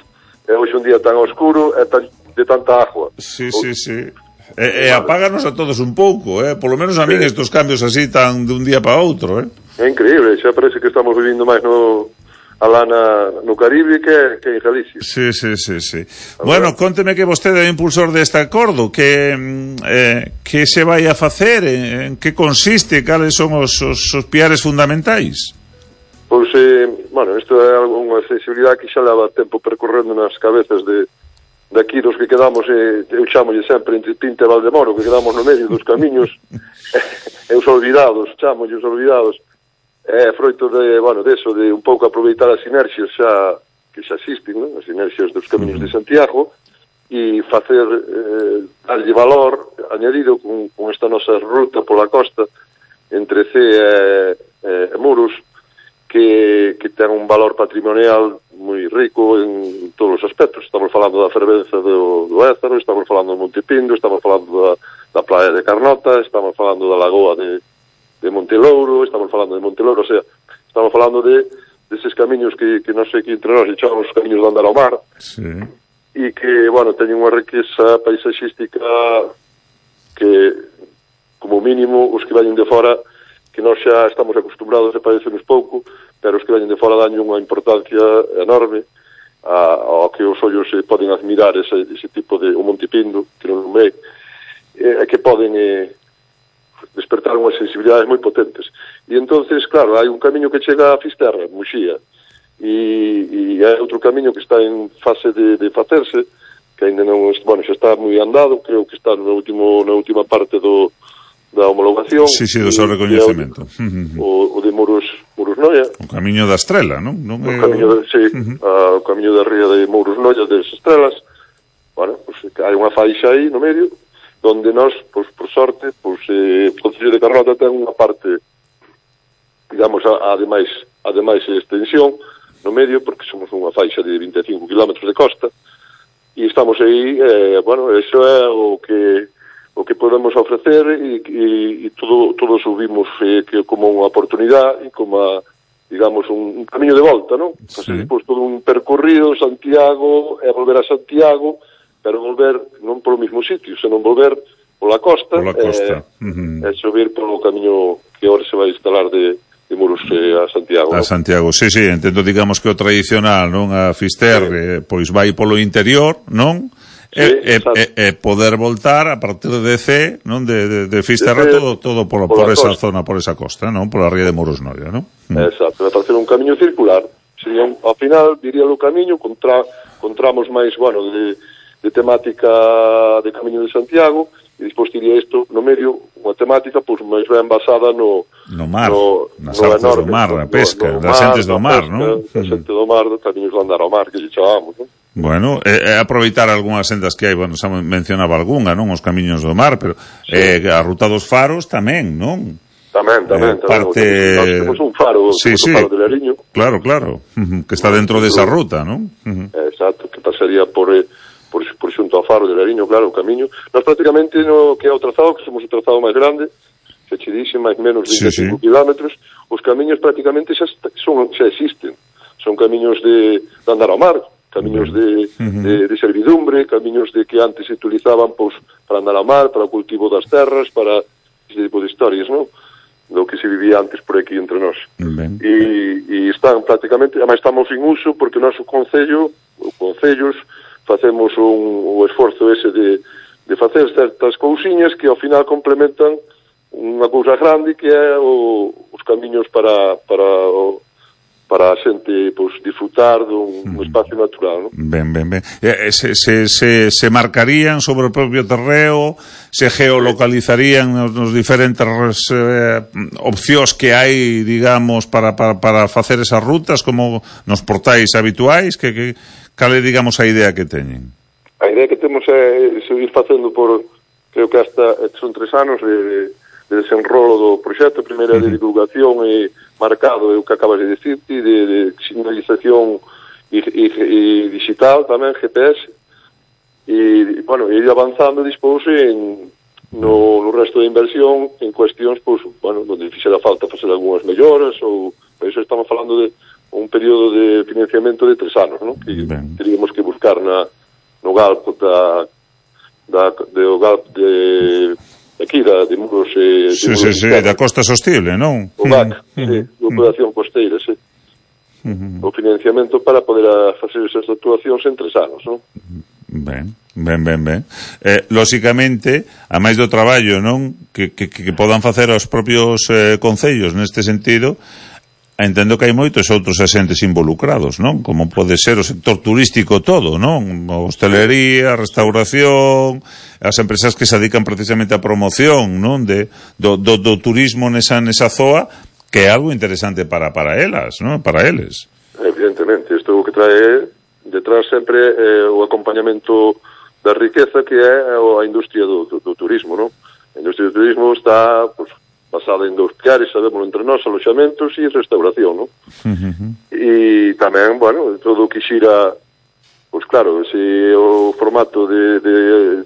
e hoxe un día tan oscuro e tan, de tanta agua. Sí, sí, sí. E, e apáganos a todos un pouco, eh? Polo menos a min sí. Estos cambios así tan de un día para outro, eh? É increíble, xa parece que estamos vivindo máis no... alá na, no Caribe que, que en Galicia. Sí, sí, sí, sí. Bueno, conteme que vostede é o impulsor deste acordo, que eh, que se vai a facer, en, en que consiste, cales son os, os, os piares fundamentais? Pois, eh, bueno, isto é unha sensibilidade que xa leva tempo percorrendo nas cabezas de, de aquí dos que quedamos, eh, eu chamolle sempre entre Pinta e Valdemoro, que quedamos no medio dos camiños, e os olvidados, chamolle os olvidados. É froito de, bueno, deso, de un pouco aproveitar as sinerxias xa que xa existen, non? As sinerxias dos camiños de Santiago, e facer, eh, darlle valor añadido con, con esta nosa ruta pola costa entre Cee e, e Muros, que, que ten un valor patrimonial moi rico en todos os aspectos. Estamos falando da fervenza do, do Ézaro, estamos falando do Monte Pindo, estamos falando da, da playa de Carnota, estamos falando da lagoa de de Montelouro, estamos falando de Montelouro, o sea, estamos falando de deses camiños que, que non sei que entre nós echamos os camiños de andar ao mar, sí. E que, bueno, teñen unha riqueza paisaxística que, como mínimo, os que veñen de fora, que nós xa estamos acostumbrados a padecernos pouco, pero os que veñen de fora dan unha importancia enorme a, ao que os ollos se poden admirar ese, ese tipo de, o Monte Pindo, que non é, e que poden... Eh, despertar unhas sensibilidades moi potentes. E entonces, claro, hai un camiño que chega a Fisterra, Muxía, e, e hai outro camiño que está en fase de, de facerse, que ainda non, bueno, xa está moi andado, creo que está na, último, na última parte do, da homologación. Sí, sí, do seu recoñecemento. O, o de Muros, Muros Noia. O camiño da Estrela, non? non O é... camiño, de, sí, uh-huh. a, o camiño da ría de Muros Noia, das Estrelas. Bueno, pues, hai unha faixa aí no medio, donde nós, pues, por sorte, pues, eh, o Concello de Carnota ten unha parte, digamos, a, ademais, ademais extensión no medio, porque somos unha faixa de vinte e cinco kilómetros de costa, e estamos aí, eh, bueno, eso é o que o que podemos ofrecer e, e, e todo, todo subimos eh, que como unha oportunidade e como a, digamos, un, un camiño de volta, non? Sí. Pues, depois todo un percorrido Santiago, e volver a Santiago, pero volver non polo mesmo sitio, senón volver pola costa, pola costa. Eh, uh-huh. e subir polo camiño que agora se vai instalar de, de Muros eh, a Santiago. A Santiago, sí, sí, entendo, digamos, que o tradicional, non? A Fister, sí. eh, pois vai polo interior, non? Sí, e, e, e poder voltar a partir de C, non, de, de, de Fisterra, de, todo todo por, por esa costa. Zona, por esa costa, non, por a ría de Muros Noia, non? Exacto, para facer un camiño circular. Sería, ao final, diría o camiño, contra, contramos máis, bueno, de, de temática de Camiño de Santiago, e despois diría isto no medio, unha temática, pois, máis ben basada no... No mar, no, nas no artes enorme, do mar, na pesca, no, no das xentes do mar, non? Das xentes do mar, dos camiños de andar ao mar, que lle chamamos, non? Bueno, é eh, aproveitar algunhas sendas que hai, bueno, xa mencionaba algunha, non? Os camiños do mar, pero sí. eh, a ruta dos faros tamén, non? Tamén, tamén, eh, parte... tamén. Nós temos un faro, sí, sí. un faro de Lariño. Claro, claro, uh-huh. que está dentro desa de ruta, non? Uh-huh. Exacto, que pasaría por, por, por xunto ao faro de Lariño, claro, o camiño. Nós prácticamente no que é o trazado, que somos o trazado máis grande, se che dixe máis menos vinte e cinco sí, sí. kilómetros, os camiños prácticamente xa, son, xa existen. Son camiños de, de andar ao mar, camiños de, uh-huh. de, de servidumbre, camiños de que antes se utilizaban pois, para andar ao mar, para o cultivo das terras, para ese tipo de historias, non? Do que se vivía antes por aquí entre nós. Ben. E, e están prácticamente, además estamos en uso porque o noso concello, o concellos, facemos un, un esforzo ese de, de facer certas cousiñas que ao final complementan unha cousa grande que é o, os camiños para, para o, para a xente pois, disfrutar dun mm. espacio natural, non? Ben, ben, ben. Eh, se, se, se, se marcarían sobre o propio terreo, se geolocalizarían nos, nos diferentes eh, opcións que hai, digamos, para, para, para facer esas rutas, como nos portais habituais, que, que cal é, digamos, a idea que teñen? A idea que temos é seguir facendo por, creo que hasta son tres anos de, de desenrolo do proxecto, primeiro uh-huh. de divulgación e marcado, é o que acabas de decir, de, de signalización e, e, e digital tamén, G P S, e, bueno, ir avanzando despois en, no, no resto de inversión en cuestións, pois, bueno, onde fixera falta facer algunhas melloras, ou, por iso estamos falando de un período de financiamento de tres anos, non? Que ben. Teríamos que buscar na, no galpo da, da, de, o galpo de aquí, da, de Muros... Eh, de sí, Muros sí, sí, da Costa Sostible, non? O B A C, mm, sí, mm, de Operación Costeira, sí. Mm, o financiamento para poder facer esas actuacións en tres anos, non? Ben, ben, ben, ben. Eh, lóxicamente, a máis do traballo, non? Que, que, que podan facer os propios eh, concellos neste sentido, entendo que hai moitos outros asentes involucrados, non? Como pode ser o sector turístico todo, non? A hostelería, a restauración, as empresas que se dedican precisamente á promoción, non? De, do, do, do turismo nesa, nesa zoa, que é algo interesante para, para elas, non? Para eles. Evidentemente, isto o que trae detrás sempre eh, o acompañamento da riqueza que é a industria do, do, do turismo, non? A industria do turismo está, pues, basada en dous piares, sabemos entre nós, aloxamentos e restauración, non? Uh-huh. E tamén, bueno, todo o que xira, pois claro, se o formato de, de,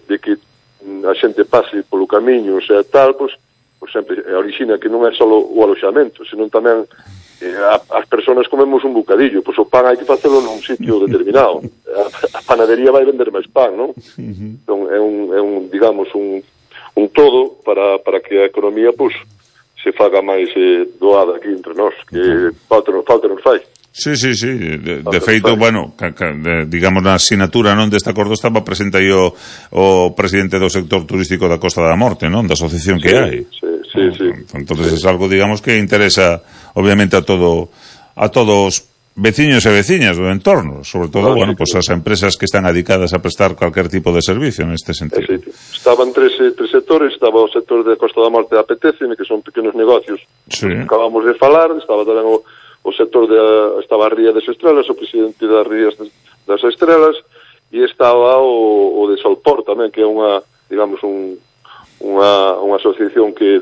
de que a xente pase polo camiño, sea tal, pois, pois sempre orixina que non é só o aloxamento, senón tamén eh, a, as persoas comemos un bocadillo, pois o pan hai que facelo nun sitio determinado. A, a panadería vai vender máis pan, non? Uh-huh. Entón, é un, é un, digamos, un, un todo para, para que a economía, pois, se faga máis eh, doada aquí entre nós, que falta, falta nos fai. Sí, sí, sí, de, de feito, bueno, ca, ca, de, digamos, na asignatura, non, deste acordo estaba presente aí o, o presidente do sector turístico da Costa da Morte, non, da asociación que sí, hai. Sí, sí, sí. Entonces sí. é algo, digamos, que interesa, obviamente, a todo a todos veciños e veciñas do entorno, sobre todo, bueno, pues as empresas que están dedicadas a prestar cualquier tipo de servicio neste sentido. Sí, estaban tres, tres sectores, estaba o sector de Costa da Morte de Apetece, que son pequenos negocios, sí. Acabamos de falar, estaba tamén o, o sector de, estaba a Ría das Estrelas, o presidente das Rías das Estrelas, e estaba o, o de Solpor tamén, que é unha, digamos, un, unha, unha asociación que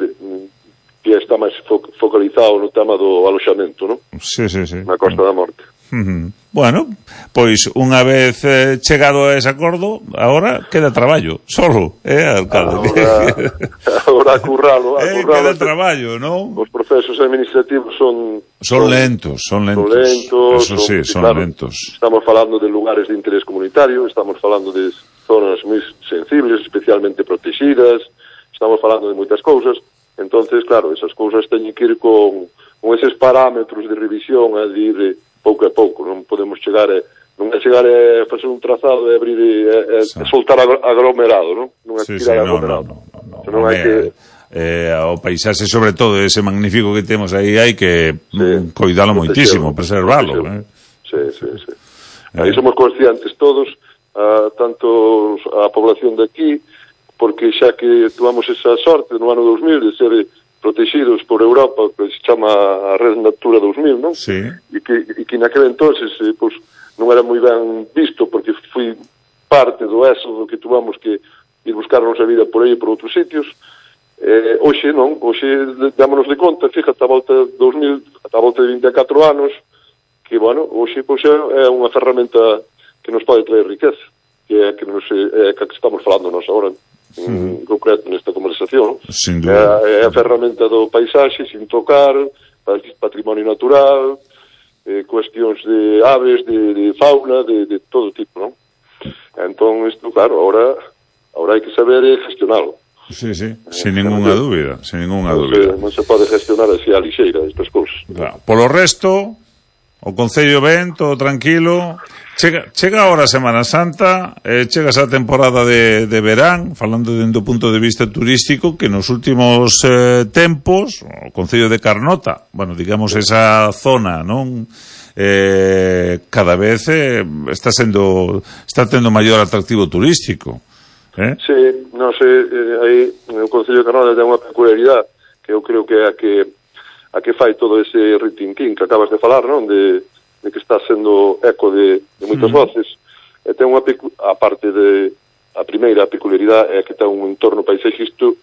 que está máis fo focalizado no tema do aloxamento, non? Sí, sí, sí. Na Costa da Morte. Uh-huh. Bueno, pois unha vez eh, chegado a ese acordo, agora queda traballo, solo, eh, alcalde? Agora a curralo, a eh, curralo. Queda traballo, non? Os procesos administrativos son... Son, son lentos, son lentos. Son lentos. Eso sí, son, son claro, lentos. Estamos falando de lugares de interés comunitario, estamos falando de zonas moi sensibles, especialmente protegidas, estamos falando de moitas cousas. Entonces, claro, esas cousas teñen que ir con, con eses parámetros de revisión a ir pouco a pouco, non podemos chegar a, non é chegar a facer un trazado e abrir e, e, e soltar aglomerado, non? Non é sí, tirar sí, aglomerado. No, no, no, no, non no, hai que... Eh, o paisaxe, sobre todo, ese magnífico que temos aí, hai que sí, mm, coidalo moitísimo, preservalo. Eh? Sí, sí, sí. Eh. Aí somos conscientes todos, uh, tanto a población de aquí, porque xa que tomamos esa sorte no ano dos mil de ser protegidos por Europa, que se chama a Red Natura dos mil, non? Sí. E que, e que naquele entonces eh, pues, non era moi ben visto, porque fui parte do éxodo que tuvamos que ir buscar a nosa vida por aí e por outros sitios. Eh, hoxe non, hoxe dámonos de conta, fíjate, a volta de dos mil, a volta de vinte e catro anos, que, bueno, hoxe pues, é unha ferramenta que nos pode traer riqueza, que é que, nos, é que estamos falando nós agora, en concreto nesta conversación. Sin duda. É, é a ferramenta do paisaxe sin tocar, patrimonio natural, eh, cuestións de aves, de, de fauna, de, de todo tipo, non? Entón, isto, claro, ahora, ahora hai que saber gestionalo. Sí, sí, sin eh, ninguna dúbida, sin ninguna non dúbida. Se, non se pode gestionar así a lixeira estas cousas. Claro. Polo resto, o Concello ben, todo tranquilo. Chega, chega ahora a Semana Santa, eh, chega esa temporada de, de verán, falando dentro do punto de vista turístico, que nos últimos eh, tempos, o Concello de Carnota, bueno, digamos esa zona, non? Eh, cada vez eh, está sendo, está tendo maior atractivo turístico. Eh? Sí, non sei, eh, aí o Concello de Carnota ten unha peculiaridade que eu creo que é a que a que fai todo ese ritintín que acabas de falar, non? De de que está sendo eco de, de moitas uh-huh. voces, e ten unha a parte de a primeira peculiaridade é que ten un entorno paisaxístico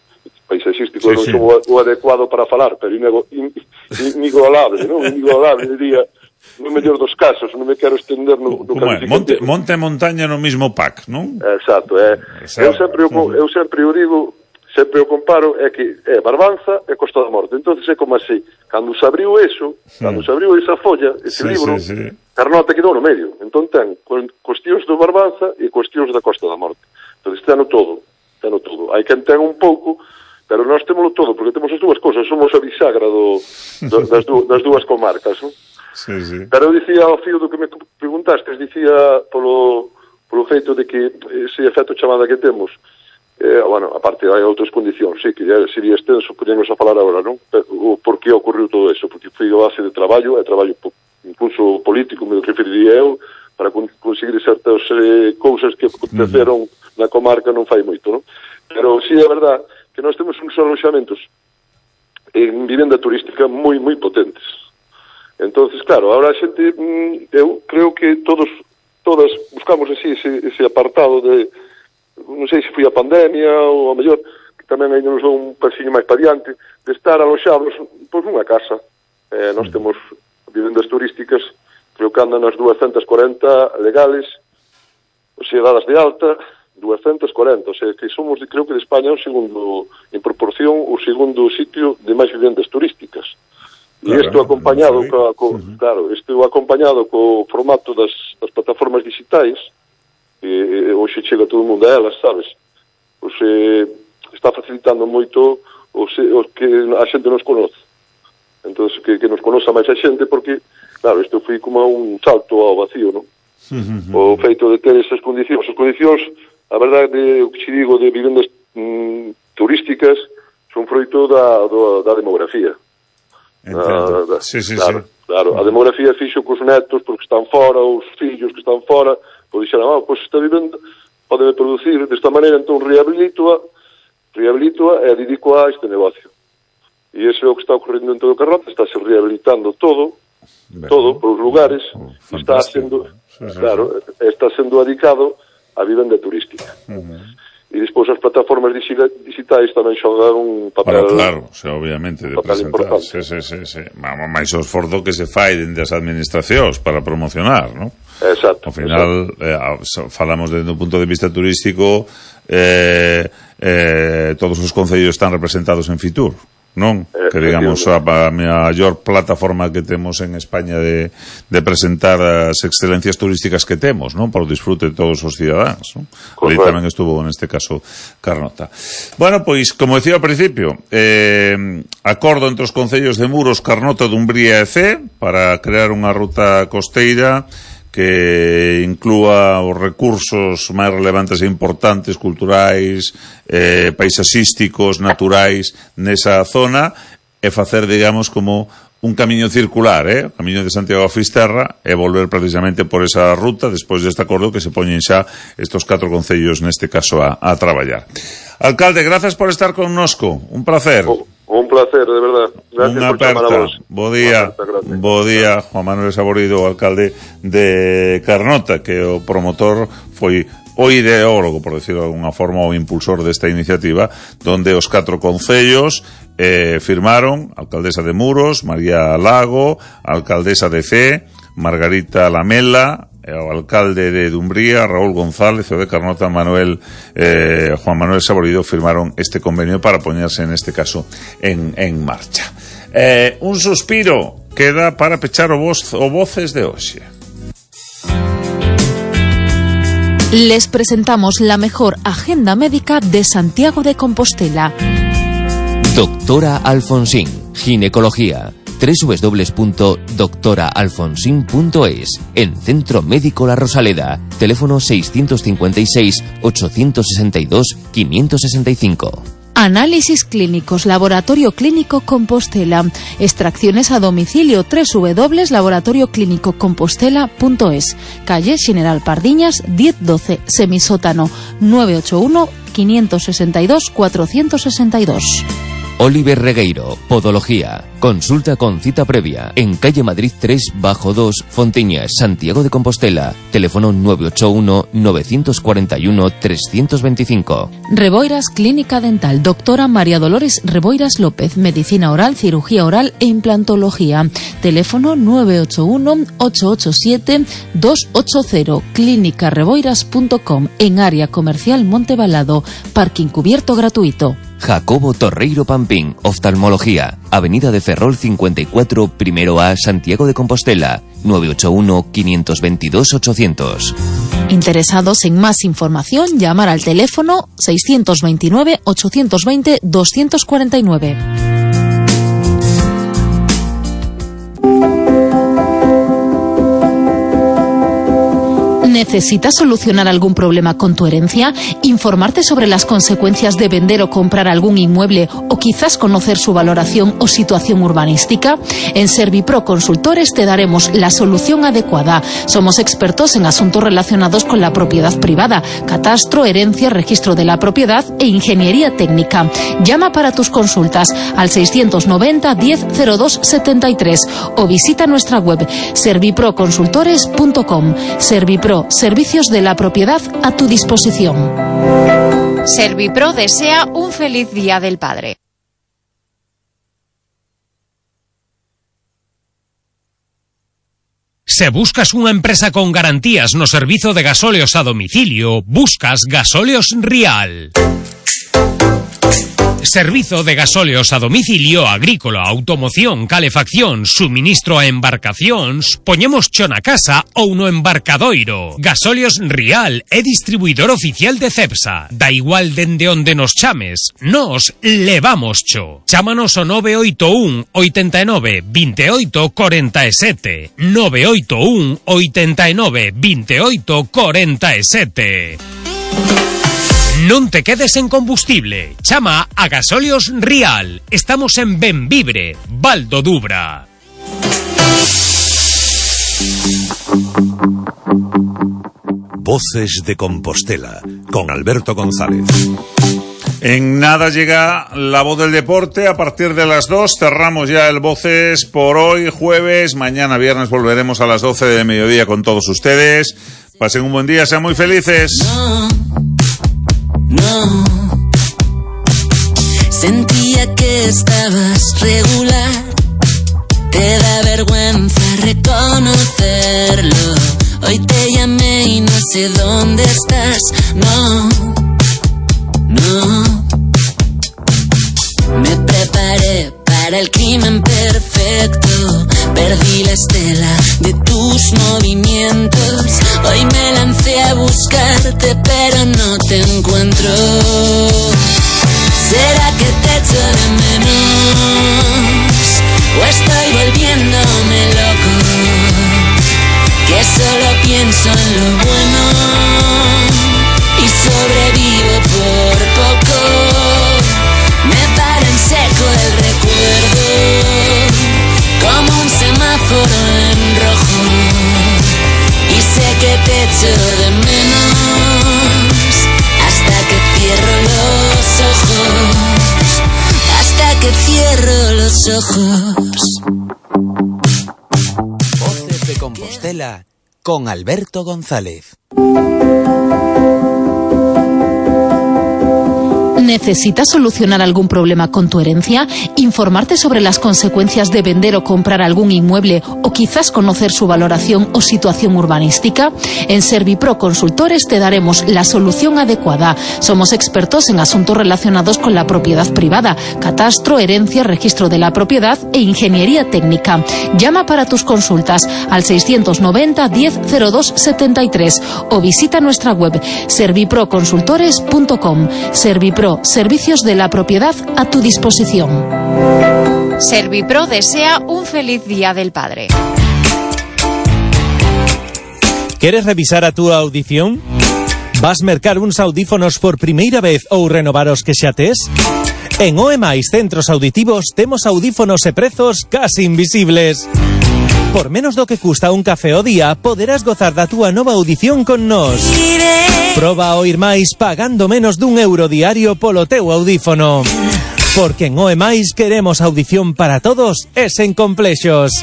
paisaxístico sí, non sí. Son o, o adecuado para falar, pero inego, in, inigualable, non? Inigualable, diría, no mellor dos casos, non me quero estender no, no é? Monte, monte e montaña no mismo pack, non? Exacto, é. Eu sempre, uh-huh. eu sempre o digo, sempre o comparo, é que é Barbanza e Costa da Morte. Entonces é como así, cando se abriu eso, cando se abriu esa folla, ese sí, libro, sí, sí. Carnota quedou no medio. Entón ten cuestións do Barbanza e cuestións da Costa da Morte. Entón teno todo, teno todo. Hai quen ten un pouco, pero nós témolo todo, porque temos as dúas cousas, somos a bisagra do, do, das, du, das dúas comarcas, non? Sí, sí. Pero eu dicía ao fío do que me preguntastes, dicía polo, polo feito de que ese efecto chamada que temos, Eh, bueno, aparte hai outras condicións, sí, que ya sería extenso, podemos a falar agora, non? O por que ocorreu todo eso, porque foi a base de traballo, é traballo incluso político, me referiría eu, para con conseguir certas eh, cousas que aconteceron uh-huh. na comarca non fai moito, non? Pero sí é verdad que nós temos uns aloxamentos en vivenda turística moi, moi potentes. Entonces, claro, ahora a xente, eu creo que todos, todas buscamos así ese, ese apartado de non sei se foi a pandemia ou a mellor que tamén ainda nos dou un pasiño máis para diante de estar aloxados pois nunha casa. Eh, nós temos vivendas turísticas, creo que andan nas duascentas cuarenta legales, ou sea, dadas de alta, duascentas cuarenta, o sea, que somos, creo que de España, o segundo, en proporción, o segundo sitio de máis vivendas turísticas. E isto claro, acompañado, no co, co, uh-huh. claro, isto acompañado co formato das, das plataformas digitais, e hoxe chega todo o mundo a elas, sabes? Pois eh, está facilitando moito o, se, o que a xente nos conoce. Entón, que, que nos conoza máis a xente, porque, claro, isto foi como un salto ao vacío, non? Uh-huh. O feito de ter esas condicións. As condicións, a verdade, o que xe digo de vivendas mm, turísticas, son froito da, da, da demografía. Ah, sí, sí, claro, sí. Claro, a demografía fixo cos netos porque están fora, os fillos que están fora, pois dixeron, ah, pois está vivendo, pode producir desta maneira, entón rehabilitoa, rehabilitoa e dedico a este negocio. E iso é o que está ocorrendo en todo o Carnota, está se rehabilitando todo, ben, todo, por os lugares, oh, está sendo, sí, sí, claro, sí. está sendo adicado a vivenda turística. Uh-huh. E despois as plataformas digitais tamén xogan un papel... Claro, claro, o sea, obviamente, de presentar, sí, sí, sí, sí. máis o esforzo que se fai dende as administracións para promocionar, non? Exacto. Ao final, eh, falamos desde un punto de vista turístico, eh, eh, todos os concellos están representados en Fitur, non? Eh, que digamos a, a maior plataforma que temos en España de, de presentar as excelencias turísticas que temos, non? Para o disfrute de todos os cidadáns, non? Aí tamén estuvo neste caso Carnota. Bueno, pois, como decía ao principio, eh, acordo entre os concellos de Muros, Carnota, Dumbría e Cee para crear unha ruta costeira que inclúa os recursos máis relevantes e importantes, culturais, eh, paisaxísticos, naturais, nesa zona, e facer, digamos, como un camiño circular, eh? O camiño de Santiago a Fisterra, e volver precisamente por esa ruta, despois deste acordo que se poñen xa estos catro concellos, neste caso, a, a traballar. Alcalde, grazas por estar connosco, un placer. Oh. Un placer, de verdad. Gracias Unha por chamar a vos. Bo día, aperta, bo día, Juan Manuel Saborido, alcalde de Carnota, que o promotor foi o ideólogo, por decirlo de alguna forma, o impulsor desta iniciativa, donde os catro concellos eh, firmaron, alcaldesa de Muros, María Lago, alcaldesa de Cee, Margarita Lamela, o alcalde de Dumbría, Raúl González, o de Carnota, Manuel eh, Juan Manuel Saborido, firmaron este convenio para poñerse, en este caso, en, en marcha. Eh, un suspiro queda para pechar o, voz, o Voces de hoxe. Les presentamos la mejor agenda médica de Santiago de Compostela. Doctora Alfonsín, ginecología. doble u doble u doble u punto doctora alfonsín punto es. En Centro Médico La Rosaleda. Teléfono seiscientos cincuenta y seis, ochocientos sesenta y dos, quinientos sesenta y cinco. Análisis clínicos, Laboratorio Clínico Compostela. Extracciones a domicilio, doble u doble u doble u punto laboratorio clínico compostela punto es. Calle General Pardiñas, diez doce, semisótano, nueve ocho uno, quinientos sesenta y dos, cuatrocientos sesenta y dos. Oliver Regueiro, Podología. Consulta con cita previa en calle Madrid tres bajo dos, Fontiñas, Santiago de Compostela. Teléfono nueve ocho uno, nueve cuatro uno, tres dos cinco. Reboiras Clínica Dental. Doctora María Dolores Reboiras López. Medicina oral, cirugía oral e implantología. Teléfono nueve ocho uno, ocho ocho siete, dos ocho cero. clínica reboiras punto com. En área comercial Montebalado. Parking cubierto gratuito. Jacobo Torreiro Pampín, Oftalmología, Avenida de Ferrol cincuenta y cuatro, primero A, Santiago de Compostela, nueve ocho uno, quinientos veintidós, ochocientos. Interesados en más información, llamar al teléfono seiscientos veintinueve, ochocientos veinte, doscientos cuarenta y nueve. ¿Necesitas solucionar algún problema con tu herencia? ¿Informarte sobre las consecuencias de vender o comprar algún inmueble o quizás conocer su valoración o situación urbanística? En Servipro Consultores te daremos la solución adecuada. Somos expertos en asuntos relacionados con la propiedad privada, catastro, herencia, registro de la propiedad e ingeniería técnica. Llama para tus consultas al seiscientos noventa, diez, cero dos setenta y tres o visita nuestra web servipro consultores punto com. Servipro, servicios de la propiedad a tu disposición. Servipro desea un feliz Día del Padre. Se buscas unha empresa con garantías no servizo de gasóleos a domicilio, buscas Gasóleos Rial. Servizo de gasóleos a domicilio, agrícola, automoción, calefacción, suministro a embarcacións, poñemos cho na casa ou no embarcadoiro. Gasóleos Rial é distribuidor oficial de Cepsa. Da igual dende onde nos chames, nos levamos cho. Chámanos ao nove oito un, oitenta e nove, veintioito, cuarenta e sete. nove oito un, oitenta e nove, veintioito, cuarenta e sete. Non te quedes en combustible. Chama a Gasóleos Rial. Estamos en Benvibre, Val do Dubra. Voces de Compostela, con Alberto González. En nada llega la voz del deporte. A partir de las dos cerramos ya el Voces por hoy, jueves. Mañana viernes volveremos a las doce de mediodía con todos ustedes. Pasen un buen día, sean muy felices. No, no. Sentía que estabas regular. Te da vergüenza reconocerlo. Hoy te llamé y no sé dónde estás. No, no. Me preparé para el crimen perfecto. Perdí la estela de tus movimientos. Hoy me lancé a buscarte, pero no te encuentro. ¿Será que te echo de menos? ¿O estoy volviéndome loco? Que solo pienso en lo bueno y sobrevivo por poco. Me para en seco el recuerdo, como un semáforo en rojo. Y sé que te echo de menos hasta que cierro los ojos, hasta que cierro los ojos. Voces de Compostela con Alberto González. ¿Necesitas solucionar algún problema con tu herencia? ¿Informarte sobre las consecuencias de vender o comprar algún inmueble o quizás conocer su valoración o situación urbanística? En Servipro Consultores te daremos la solución adecuada. Somos expertos en asuntos relacionados con la propiedad privada, catastro, herencia, registro de la propiedad e ingeniería técnica. Llama para tus consultas al seiscientos noventa diez cero dos setenta y tres o visita nuestra web servipro consultores punto com. Servipro, servicios de la propiedad a tu disposición. Servipro desea un feliz Día del Padre. Queres revisar a túa audición? Vas mercar uns audífonos por primeira vez ou renovar os que xa tes? En O E Mais Centros Auditivos temos audífonos e prezos casi invisibles. Por menos do que custa un café o día, poderás gozar da túa nova audición con nós. Proba a oír máis pagando menos dun euro diario polo teu audífono. Porque en O E Mais queremos audición para todos e sen complexos.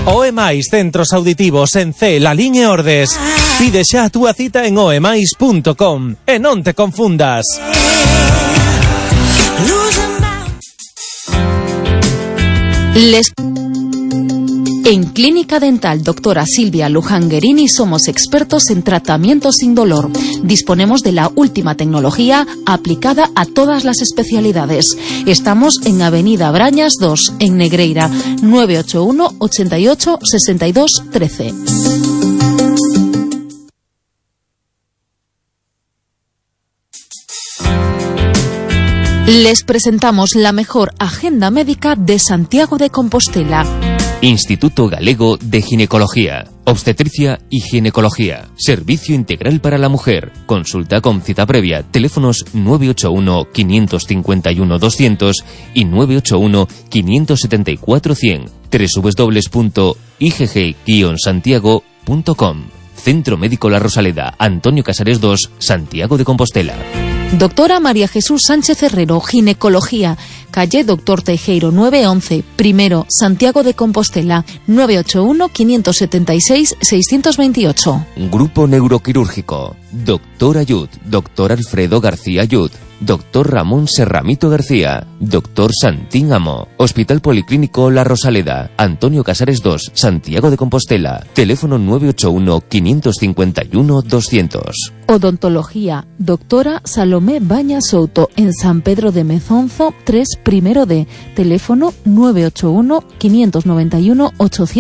O E Mais Centros Auditivos en C, Lalín e Ordes. Pide xa a túa cita en oemais punto com e non te confundas. Les... En Clínica Dental Doctora Silvia Luján Guerini somos expertos en tratamiento sin dolor. Disponemos de la última tecnología aplicada a todas las especialidades. Estamos en Avenida Brañas dos, en Negreira, nueve ocho uno, ochenta y ocho, sesenta y dos, trece. Les presentamos la mejor agenda médica de Santiago de Compostela. Instituto Galego de Ginecología, Obstetricia y Ginecología. Servicio integral para la mujer. Consulta con cita previa. Teléfonos nueve ocho uno, cinco cinco uno, doscientos y nueve ocho uno, cinco siete cuatro, cien. doble u doble u doble u punto i g g guion santiago punto com. Centro Médico La Rosaleda, Antonio Casares dos, Santiago de Compostela. Doctora María Jesús Sánchez Herrero, Ginecología, calle Doctor Teijeiro nueve once, primero, Santiago de Compostela, nueve ocho uno, cinco siete seis, seis dos ocho. Grupo Neuroquirúrgico, Doctor Ayud, Doctor Alfredo García Ayud, Doctor Ramón Serramito García, Doctor Santín Amo, Hospital Policlínico La Rosaleda, Antonio Casares dos, Santiago de Compostela, teléfono nueve ocho uno, cinco cinco uno, doscientos. Odontología, Doctora Salomé Baña Souto, en San Pedro de Mezonzo, tres, primero D, teléfono nueve ocho uno, cinco nueve uno, ochocientos.